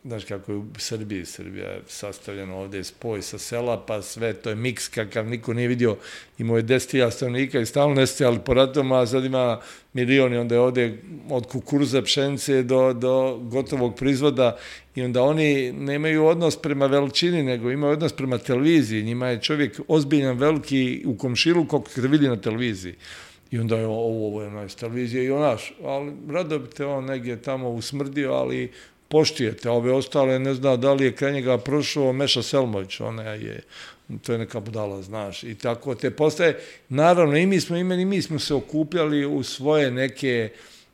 znaš kako je u Srbiji, Srbija je sastavljena ovdje spoj sa sela, pa sve, to je miks kakav niko nije vidio. Imao je deset hiljada stanovnika i stalno nestajali po ratovima, a sad ima milioni, onda je ovdje od kukuruza, pšenice do, do gotovog proizvoda i onda oni nemaju odnos prema veličini, nego imaju odnos prema televiziji. Njima je čovjek ozbiljan, veliki u komšilu, kako se vidi na televiziji. I onda je ovo, ovo je onaj s televizije i onaš, ali rado bi te on negdje tamo usmrdio, ali poštujete, ove ostale ne zna da li je kraj njega prošao Meša Selmović, ona je, to je neka budala, znaš, i tako te postaje, naravno i mi smo imeni, i mi smo se okupljali u svoje neke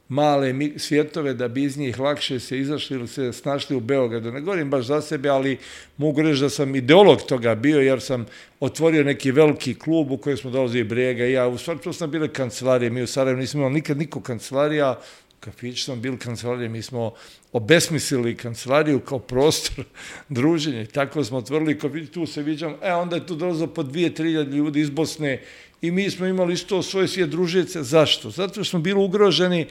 male svjetove da bi iz njih lakše se izašli ili se snašli u Beogradu. Ne govorim baš za sebe, ali mogu reći da sam ideolog toga bio, jer sam otvorio neki veliki klub u kojem smo dolazili Brega i ja, u stvari to sam bile kancelarije, mi u Sarajevu nismo imali nikad niko kancelarija, kafić sam bili kancelarije, mi smo obesmislili kancelariju kao prostor druženja. Tako smo otvorili kafić, tu se viđam, e, onda je tu dolazilo po dvije, tri hiljade ljudi iz Bosne i mi smo imali isto svoje svije družice. Zašto? Zato što smo bili ugroženi,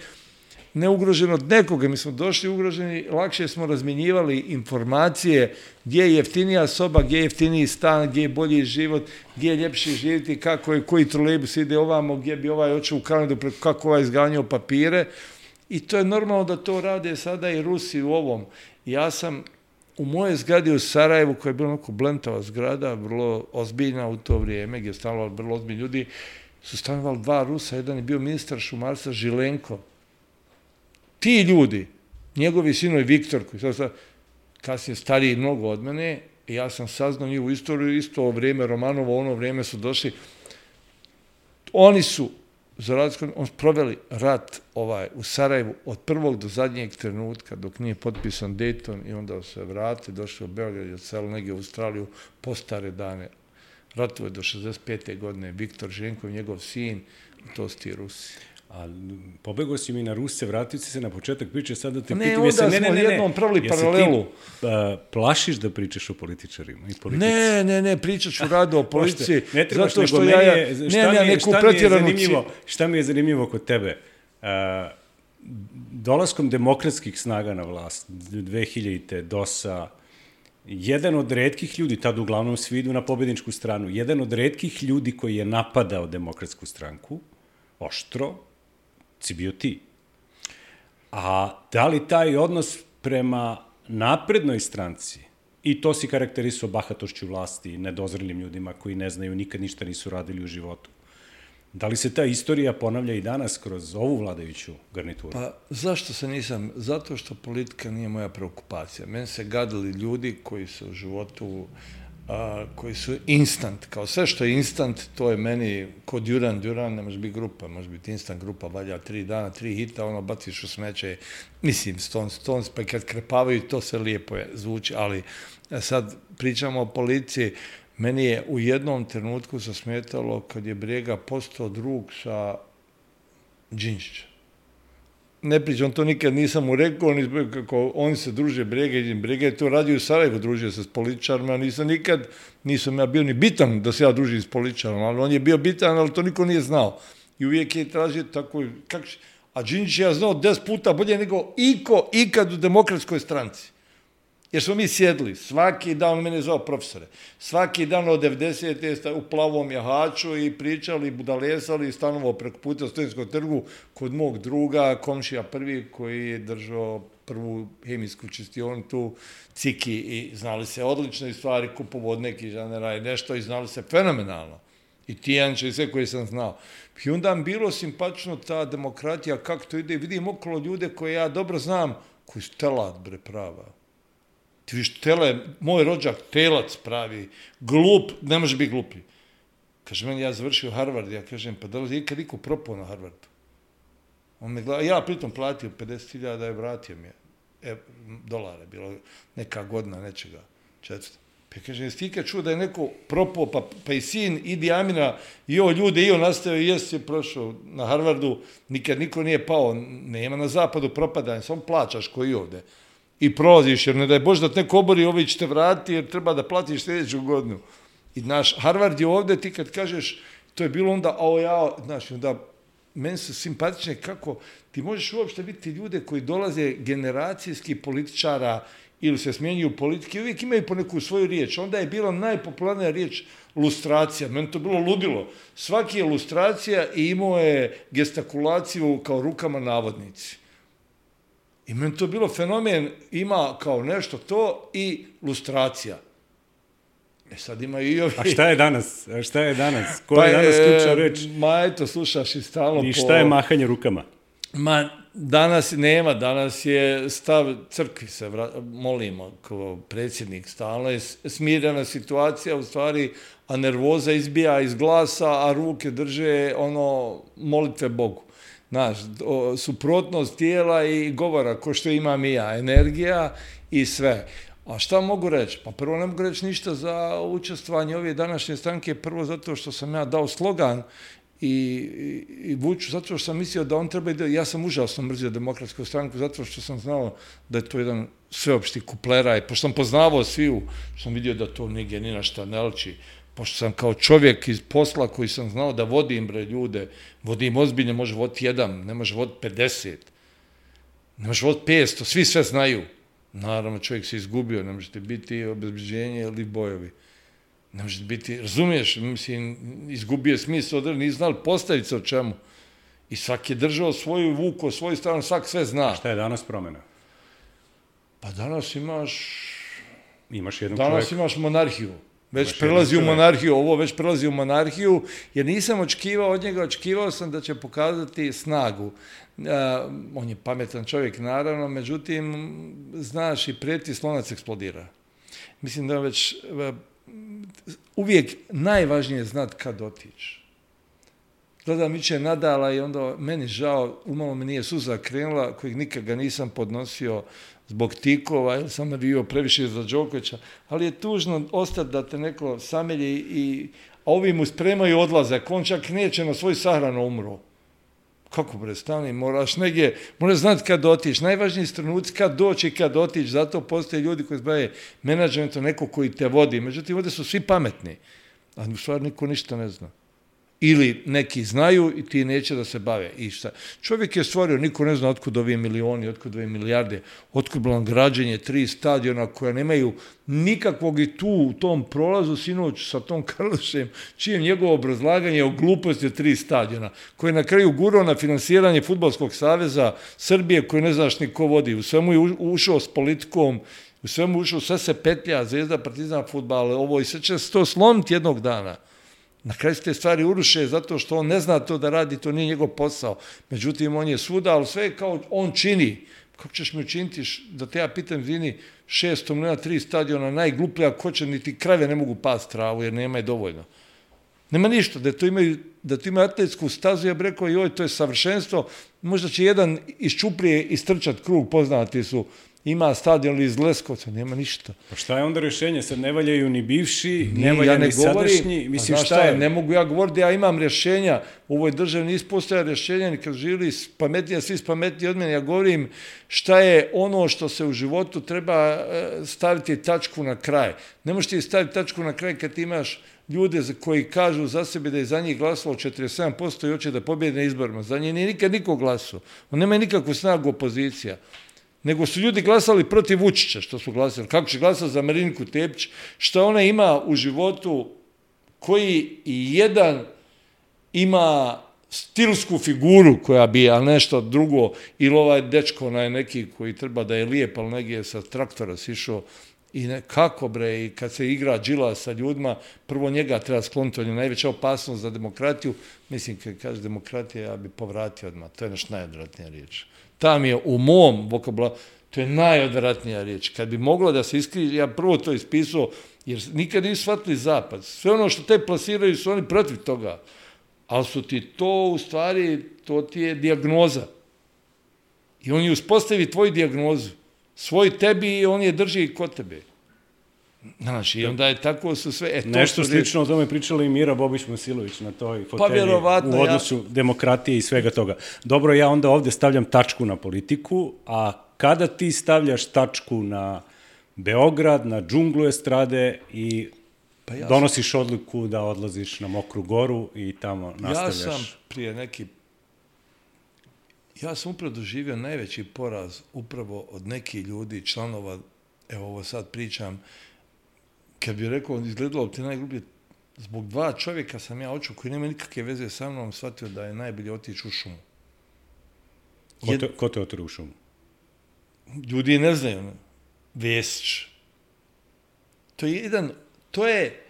ne ugroženi od nekoga, mi smo došli ugroženi, lakše smo razmjenjivali informacije gdje je jeftinija soba, gdje je jeftiniji stan, gdje je bolji život, gdje je ljepše živjeti, kako je, koji trolejbus ide ovamo, gdje bi ovaj očeo u Kanadu, kako ovaj izganjao papire. I to je normalno da to rade sada i Rusi u ovom. Ja sam u moje zgradi u Sarajevu, koja je bila onako blentava zgrada, vrlo ozbiljna u to vrijeme, gdje je stanovalo vrlo ozbiljni ljudi, su stanovali dva Rusa, jedan je bio ministar šumarstva Žilenko. Ti ljudi, njegovi sinovi Viktor, koji sad, sad kasnije stariji mnogo od mene, ja sam saznao njihovu istoriju, isto o vrijeme Romanova, ono vrijeme su došli, oni su za razliku, on proveli rat ovaj, u Sarajevu od prvog do zadnjeg trenutka dok nije potpisan Dayton i onda se vrate, došli u Beograd i odseli negdje u Australiju po stare dane. Ratuje do šezdeset pete godine Viktor Ženkov, njegov sin, to su ti Rusi. A pobegao si mi na Ruse, vratio si se na početak priče, sad da te ne, pitam... Ne, onda ne, smo ne, jednom pravili paralelu. Ti, a, plašiš da pričaš o političarima i politici? Ne, ne, ne, pričat ću rado o politici. Ne trebaš, zato što nego ja, je, ne, šta, ne, mi je, šta, mi je zanimljivo, šta mi je zanimljivo kod tebe? A, dolaskom demokratskih snaga na vlast, dve hiljadite, dosa, jedan od retkih ljudi, tad uglavnom svi idu na pobjedničku stranu, jedan od retkih ljudi koji je napadao demokratsku stranku, oštro, si bio ti. A da li taj odnos prema naprednoj stranci I to si karakterisao bahatošću vlasti, nedozrelim ljudima koji ne znaju, nikad ništa nisu radili u životu. Da li se ta istorija ponavlja i danas kroz ovu vladajuću garnituru? Pa zašto se nisam? Zato što politika nije moja preokupacija. Meni se gadili ljudi koji su u životu, a, koji su instant. Kao sve što je instant, to je meni kod Duran Duran, ne može biti grupa, može biti instant grupa, valja tri dana, tri hita, ono baciš u smeće, mislim, Stones, Stones, pa kad krepavaju, to se lijepo je, zvuči, ali sad pričamo o policiji. Meni je u jednom trenutku zasmetalo kad je Brega postao drug sa Đinđićem. Ne pričam, to nikad nisam mu rekao, on, kako oni se druže Brega i Brega je to radio u Sarajevu, družio se s političarima, nisam nikad, nisam ja bio ni bitan da se ja družim s političarima, ali on je bio bitan, ali to niko nije znao. I uvijek je tražio tako, kak, a Đinđić je ja znao deset puta bolje nego iko, ikad u Demokratskoj stranci. Jer smo mi sjedli, svaki dan, on mene je zvao profesore, svaki dan od devedesete u plavom jahaču i pričali, budalesali i stanovao preko puta Studentskog trgu kod mog druga, komšija prvi, koji je držao prvu hemijsku čistionicu, Ciki, i znali se odlične stvari, kupovod neki žanera i nešto, i znali se fenomenalno. I Tijanče i sve koje sam znao. I onda mi bilo simpatično ta demokratija, kako to ide, vidim okolo ljude koje ja dobro znam, koji su telat, bre, prava. Ti viš, tele, moj rođak, telac pravi, glup, ne može biti gluplji. Kaže, meni, ja završio Harvard, ja kažem, pa da li je ikad niko propao na Harvardu? On me gleda, ja pritom platio pedeset hiljada je vratio mi je, e, dolara, bilo neka godina nečega, četvrsta. Pa kaže, jesi ti ikad čuo da je neko propao, pa, pa i sin Idi Amina, i ovo ljude, i on nastavio, i jesi je prošao na Harvardu, nikad niko nije pao, nema na zapadu propadanja, samo plaćaš koji ovde. I prolaziš, jer ne daj Bože da te neko obori, ovi će te vratiti, jer treba da platiš sljedeću godinu. I naš Harvard je ovde, ti kad kažeš, to je bilo onda, a o ja, znaš, onda, meni su simpatične kako ti možeš uopšte vidjeti ljude koji dolaze generacijski političara ili se smjenjuju politike, uvijek imaju po neku svoju riječ. Onda je bila najpopularnija riječ lustracija. Meni to bilo ludilo. Svaki je lustracija i imao je gestakulaciju kao rukama navodnici. I meni to bilo fenomen, ima kao nešto to i lustracija. E sad ima i ovi... A šta je danas? A šta je danas? Koja je danas ključna reč? Ma eto, slušaš i stalno po... I šta je mahanje rukama? Ma, danas nema, danas je stav crkvi se vra... molimo kao predsjednik, stalno je smirena situacija u stvari, a nervoza izbija iz glasa, a ruke drže ono molitve Bogu. Znaš, suprotnost tijela i govora, ko što imam i ja, energija i sve. A šta mogu reći? Pa prvo ne mogu reći ništa za učestvovanje ove današnje stranke, prvo zato što sam ja dao slogan i, i, i Vuču, zato što sam mislio da on treba ide, ja sam užasno mrzio Demokratsku stranku, zato što sam znao da je to jedan sveopšti kupleraj, pošto sam poznavao sviju, što sam vidio da to nigdje ni na šta ne liči, pošto sam kao čovjek iz posla koji sam znao da vodim bre ljude, vodim ozbiljno, može voditi jedan, ne može voditi pedeset, ne može voditi petsto, svi sve znaju. Naravno, čovjek se izgubio, ne možete biti obezbeđenje ili bojovi. Ne možete biti, razumiješ, mislim, izgubio smisao, nisu znali postaviti se o čemu. I svak je držao svoju vuku, svoju stranu, svak sve zna. A šta je danas promjena? Pa danas imaš... Imaš jednog danas čovjeka. imaš monarhiju. Već prelazi u monarhiju, ovo već prelazi u monarhiju, jer nisam očekivao od njega, očekivao sam da će pokazati snagu. Uh, on je pametan čovjek, naravno, međutim, znaš, i prijeti slonac eksplodira. Mislim da već uh, uvijek najvažnije je znati kad otići. Gledam iće Nadala i onda meni žao, umalo mi nije suza krenula, kojeg nikad ga nisam podnosio zbog tikova, jer sam navio previše za Đokovića, ali je tužno ostati da te neko samelji i a ovi mu spremaju odlazak, on čak neće na svoj sahranu umro. Kako bre, stani, moraš negdje, moraš znati kad otići, najvažniji trenuci kad doći i kad otići, zato postoje ljudi koji se bave menadžmentom, neko koji te vodi, međutim ovdje su svi pametni, a u stvari niko ništa ne zna. Ili neki znaju i ti neće da se bave. I šta? Čovjek je stvorio, niko ne zna otkud ovi milioni, otkud ove milijarde, otkud bilo građenje tri stadiona koja nemaju nikakvog i tu u tom prolazu sinoć sa tom Karlošem, čijem njegovo obrazlaganje o gluposti od tri stadiona, koje je na kraju gurao na finansiranje Fudbalskog saveza Srbije, koji ne znaš ni ko vodi. U svemu je ušao s politikom, U svemu ušao, sve se petlja, Zvezda, Partizan, fudbal, ovo i sve će se to slomiti jednog dana. Na kraju se te stvari uruše zato što on ne zna to da radi, to nije njegov posao. Međutim, on je svuda, ali sve kao on čini. Kako ćeš mi učiniti da te ja pitam, izvini, šesto milijuna, tri stadiona, najgluplja, ko će, niti krave ne mogu past travu jer nema je dovoljno. Nema ništa, da to imaju, da to imaju atletsku stazu, ja bih rekao, joj, to je savršenstvo, možda će jedan iz Čuprije istrčat krug, poznati su, ima stadion iz Leskovca, nema ništa. Pa šta je onda rješenje? Sad ne valjaju ni bivši, ne valjaju ja ne ni sadašnji, mislim šta, šta je? Ne mogu ja govoriti, ja imam rješenja, u ovoj državi nis postoja rješenja, kad žili pametnije, svi pametniji od mene, ja govorim šta je ono što se u životu treba staviti tačku na kraj. Ne možeš ti staviti tačku na kraj kad imaš ljude koji kažu za sebe da je za njih glasalo četrdeset sedam posto i hoće da pobjede na izborima. Za njih nije nikad niko glasao. On nema nikakvu snagu opozicija. Nego su ljudi glasali protiv Vučića, što su glasali. Kako će glasati za Mariniku Tepić? Što ona ima u životu, koji i jedan ima stilsku figuru koja bi, a nešto drugo, ili ovaj dečko, onaj neki koji treba da je lijep, ali negdje sa traktora sišao. I ne, kako bre, i kad se igra džila sa ljudima, prvo njega treba skloniti, on je najveća opasnost za demokratiju. Mislim, kad kaže demokratija, ja bi povratio odmah. To je naš najodvratnija riječ. Tam je u mom vokabularu, to je najodvratnija riječ. Kad bi moglo da se iskrije, ja prvo to ispisao, jer nikad nisu shvatili zapad. Sve ono što te plasiraju su oni protiv toga. Ali su ti to, u stvari, to ti je dijagnoza. I on je uspostavi tvoju dijagnozu. Svoj tebi i on je drži kod tebe. Znači, i onda je tako su sve... E, nešto slično o tome pričala i Mira Bobić-Masilović na toj fotelji pa, u odnosu ja... demokratije i svega toga. Dobro, ja onda ovdje stavljam tačku na politiku, a kada ti stavljaš tačku na Beograd, na džunglu estrade i pa ja donosiš sam... odluku da odlaziš na Mokru Goru i tamo nastavljaš... Ja sam prije neki... Ja sam upravo doživio najveći poraz upravo od nekih ljudi, članova, evo ovo sad pričam, kad bi rekao, izgledalo ti najgluplje, zbog dva čovjeka sam ja očuo koji nema nikakve veze sa mnom, shvatio da je najbolje otići u šumu. Ko te, ko te otiru u šumu? Ljudi ne znaju. Ne? Vesić. To je jedan, to je,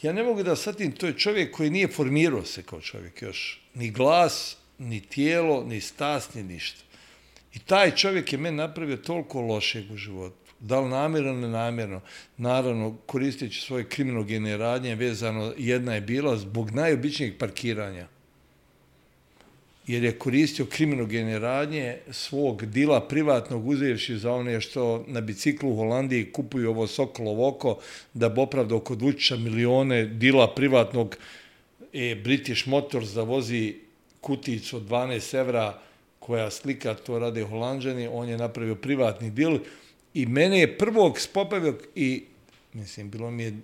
ja ne mogu da shvatim, to je čovjek koji nije formirao se kao čovjek još. Ni glas, ni tijelo, ni stas, ni ništa. I taj čovjek je meni napravio toliko lošeg u životu. Da li namjerno, nenamjerno, naravno koristeći svoje kriminogene radnje, vezano, jedna je bila zbog najobičnijeg parkiranja. Jer je koristio kriminogene radnje svog dila privatnog, uzevši za one što na biciklu u Holandiji kupuju ovo Sokolovo oko, da bi opravdao kod Vučića milione dila privatnog e, British Motors da vozi kuticu od dvanaest evra koja slika, to rade Holanđani, on je napravio privatni dil. I mene je prvog spopavio i, mislim, bilo mi je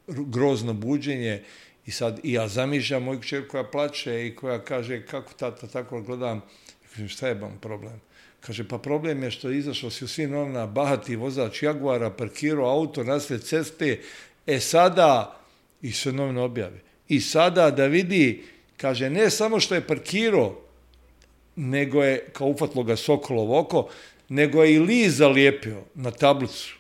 grozno buđenje i sad i ja zamišljam moju kćer koja plače i koja kaže kako tata tako gledam. I kažem šta je vam problem? Kaže pa problem je što je izašao si u svim novinama bahati vozač Jaguara, parkirao auto nasred ceste, e sada, i sve novine objave, i sada da vidi, kaže ne samo što je parkirao, nego je, kao ufatlo ga Sokolovo oko, nego je i list zalijepio na tablicu.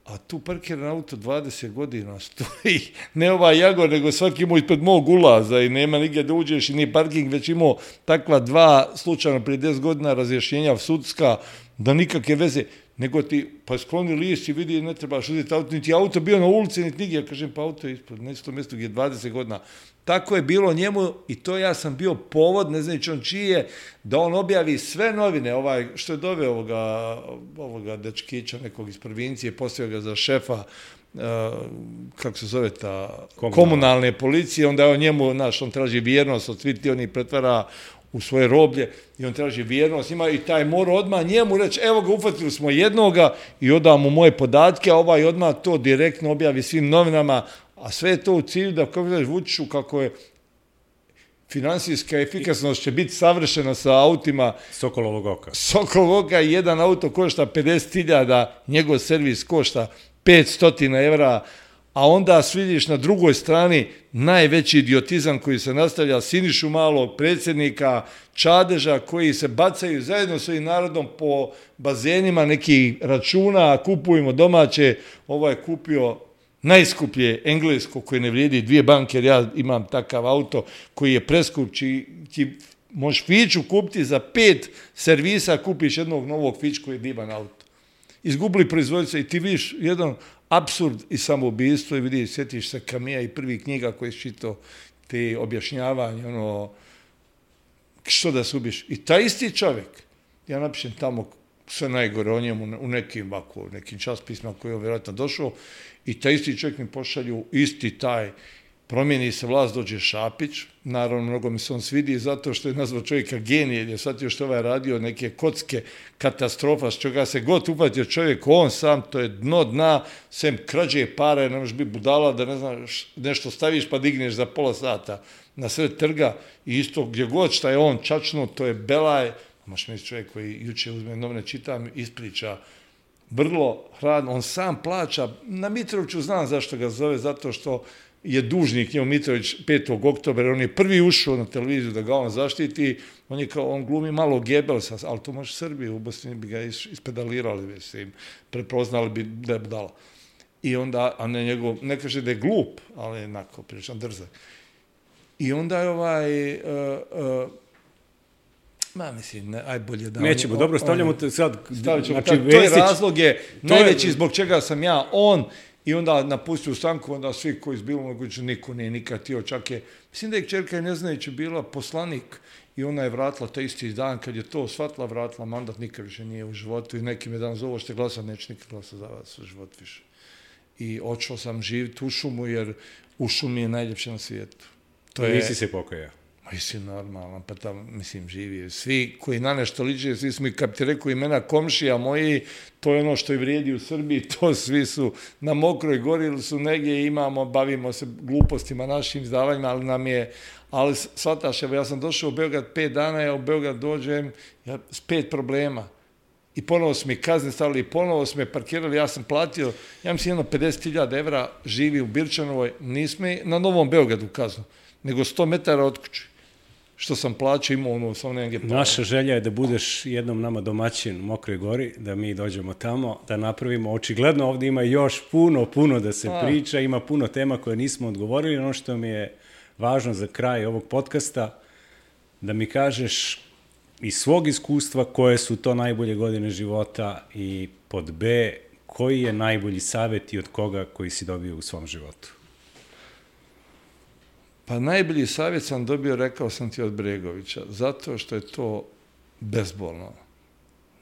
A tu parkiran auto dvadeset godina stoji, ne ovaj Jagor, nego svaki imao ispred mog ulaza i nema nigdje da uđeš i nije parking, već imao takva dva slučajno prije deset godina razrješenja sudska, da nikakve veze, nego ti pa skloni list i vidi ne trebaš uzeti auto, niti auto bio na ulici, niti nigdje, ja kažem pa auto je ispred, neće to mjesto gdje je dvadeset godina. Tako je bilo njemu i to ja sam bio povod, ne znajući on čiji je, da on objavi sve novine, ovaj, što je doveo ovoga, ovoga dečkića nekog iz provincije, postavio ga za šefa, uh, kako se zove ta, komunalne, komunalne policije, onda je on njemu, znaš, on traži vjernost, od svih ti oni pretvara u svoje roblje i on traži vjernost, ima i taj mora odmah njemu reći, evo ga, ufatili smo jednoga i odao mu moje podatke, a ovaj odmah to direktno objavi svim novinama, a sve je to u cilju da, kako daš Vučiću, kako je finansijska efikasnost će biti savršena sa autima Sokolovog oka. Sokolovog oka, jedan auto košta pedeset hiljada, njegov servis košta petsto evra, a onda vidiš na drugoj strani najveći idiotizam koji se nastavlja, Sinišu Malog, predsjednika Čadeža, koji se bacaju zajedno s ovim narodom po bazenima nekih računa, kupujemo domaće, ovaj je kupio najskuplje englesko koje ne vrijedi dvije banke, jer ja imam takav auto koji je preskup, či, či možeš Fiću kupiti za pet servisa, kupiš jednog novog Fić koji je divan auto. Izgubili proizvoditelja i ti vidiš jedan apsurd i samoubistvo i vidiš, sjetiš se Kamija i prvi knjiga koji je čitao te objašnjavanje, ono, što da se ubiješ. I taj isti čovjek, ja napišem tamo sve najgore o njemu u nekim, ovako, nekim časopisima koji je vjerojatno došao, i taj isti čovjek mi pošalju isti taj, promijeni se vlast, dođe Šapić, naravno mnogo mi se on svidi zato što je nazvao čovjeka genije, jer je shvatio što ovaj radio neke kocke, katastrofa, s čega se god upatio čovjek, on sam, to je dno dna, sem krađe pare, ne možeš biti budala da ne znaš, nešto staviš pa digneš za pola sata na sred trga i isto gdje god šta je on čačno, to je belaj, možeš misliti čovjek koji juče uzme novine, čitam, ispriča, vrlo hladno, on sam plaća, na Mitroviću znam zašto ga zove, zato što je dužnik njemu Mitrović petog oktobra, on je prvi ušao na televiziju da ga on zaštiti, on je kao, on glumi malo Gebelsa, ali to može Srbije, u Bosni bi ga ispedalirali, već se im prepoznali bi da je budala. I onda, a ne njegov, ne kaže da je glup, ali je onako, pričam drzak. I onda je ovaj, uh, uh, ma mislim, ne, aj bolje da... Nećemo, on, dobro, stavljamo te sad... Stavit ćemo, znači, to je razlog je, najveći zbog čega sam ja on, i onda napustio stanku, onda svi koji su bilo moguće, niko nije nikad tio, čak je, mislim da je kćerka Neznajući bila poslanik i ona je vratila taj isti dan, kad je to shvatila, vratila mandat, nikad više nije u životu i neki me dan zovu, što glasa, neće nikad glasa za vas u život više. I odšao sam živjeti u šumu, jer u šumi je najljepše na svijetu. To je... Nisi se pokajao? Mislim, normalno, pa tamo, mislim, živi. Svi koji na nešto liče, svi smo i, kad ti rekao imena komšija moji, to je ono što i vrijedi u Srbiji, to svi su na Mokroj gori ili su negdje, imamo, bavimo se glupostima, našim izdavanjima, ali nam je, ali shvataš, ja sam došao u Beograd pet dana, ja u Beograd dođem ja, s pet problema. I ponovo su mi kazne stavili, i ponovo su me parkirali, ja sam platio, ja mislim, jedno pedeset hiljada evra, živi u Birčanovoj, nismo na Novom Beogradu kaznu, nego sto metara od kuće. Što sam plaćao, imao ono, samo negdje pala. Naša želja je da budeš jednom nama domaćin u Mokroj gori, da mi dođemo tamo, da napravimo. Očigledno ovdje ima još puno, puno da se A. priča, ima puno tema koje nismo odgovorili. Ono što mi je važno za kraj ovog podcasta, da mi kažeš iz svog iskustva koje su to najbolje godine života i pod B, koji je najbolji savjet i od koga koji si dobio u svom životu? Pa najbolji savjet sam dobio, rekao sam ti, od Bregovića, zato što je to bezbolno.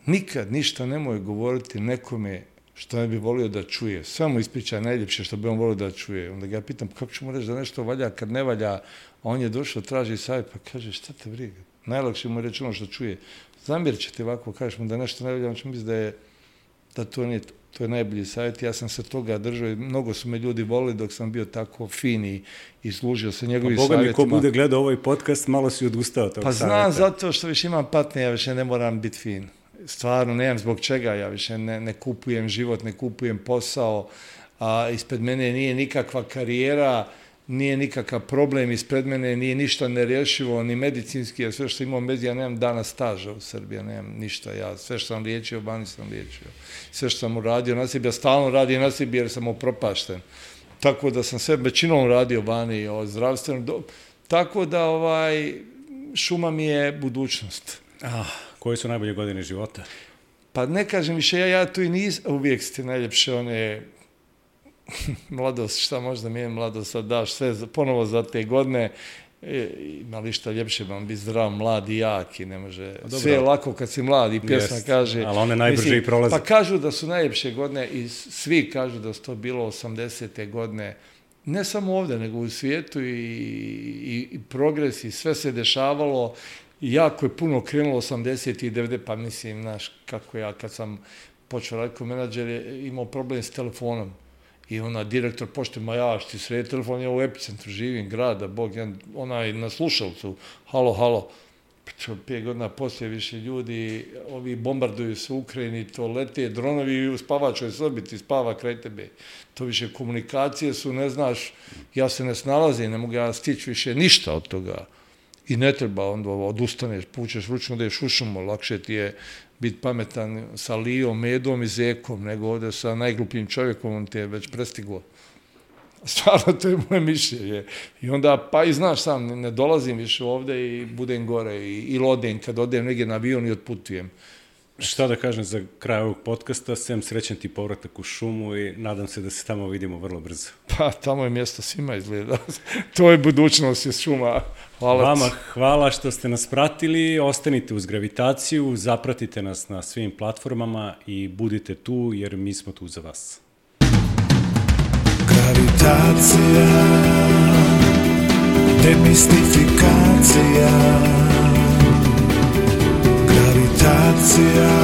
Nikad ništa nemoj govoriti nekome što ne bi volio da čuje. Samo ispričaj najljepše što bi on volio da čuje. Onda ga ja pitam, kako ću mu reći da nešto valja kad ne valja, a on je došao, traži savjet, pa kaže, šta te briga? Najlakše mu reći ono što čuje. Zamjer će ti ovako, kažeš mu da nešto ne valja, on će misli da je, da to nije to. To je najbolji savjet, ja sam se toga držao i mnogo su me ljudi volili dok sam bio tako fin i, i služio se njegovim savjetima. Pa Boga mi, ko bude gledao ovaj podcast, malo si odustao tog pa savjeta. Pa znam, zato što više imam patnje, ja više ne moram biti fin. Stvarno, nemam zbog čega, ja više ne, ne kupujem život, ne kupujem posao, a ispred mene nije nikakva karijera, nije nikakav problem ispred mene, nije ništa nerješivo, ni medicinski, jer sve što imam bez, ja nemam dana staža u Srbiji, ja nemam ništa, ja sve što sam liječio, vani sam liječio. Sve što sam uradio na sebi, ja stalno radim na sebi jer sam upropašten. Tako da sam sve većinom radio vani, o zdravstvenom, do... tako da ovaj, šuma mi je budućnost. Ah, koje su najbolje godine života? Pa ne kažem više, ja, ja tu i nisam, uvijek ste najljepše one... mladost, šta možda mi je mladost, daš sve ponovo za te godine, e, ima li šta ljepše, vam biti zdrav, mlad i jak i ne može, dobro, sve je lako kad si mlad i pjesma jest, kaže. Ali one najbrže mislim, i prolaze. Pa kažu da su najljepše godine i svi kažu da su to bilo osamdesete godine, ne samo ovdje, nego u svijetu i, i, i progres i sve se dešavalo i jako je puno krenulo osamdesetih i devedesetih, pa mislim, znaš, kako ja kad sam počeo raditi kao menadžer, je imao problem s telefonom. I ona direktor pošte, ma ja, šti sredi telefon, ja u epicentru živim, grada, Bog, ja, ona je na slušalcu, halo, halo. čo, pet godina poslije više ljudi, ovi bombarduju se u Ukrajini, to lete dronovi u spavačoj sobi, ti spava kraj tebe. To više komunikacije su, ne znaš, ja se ne snalazim, ne mogu ja stići više ništa od toga. I ne treba, onda odustaneš, pučeš ručno da je šušumo, lakše ti je biti pametan sa Lijom, Medom i Zekom, nego ovdje sa najglupljim čovjekom, on te je već prestiglo. Stvarno, to je moje mišljenje. I onda, pa i znaš sam, ne dolazim više ovdje i budem gore i, i odem, kad odem negdje na avion i otputujem. Šta da kažem za kraj ovog podcasta, sem srećan ti povratak u šumu i nadam se da se tamo vidimo vrlo brzo. Pa, tamo je mjesto svima izgleda. To je budućnost iz šuma. Hvala. Vama hvala što ste nas pratili, ostanite uz Gravitaciju, zapratite nas na svim platformama i budite tu jer mi smo tu za vas. Gravitacija, demistifikacija, gravitacija.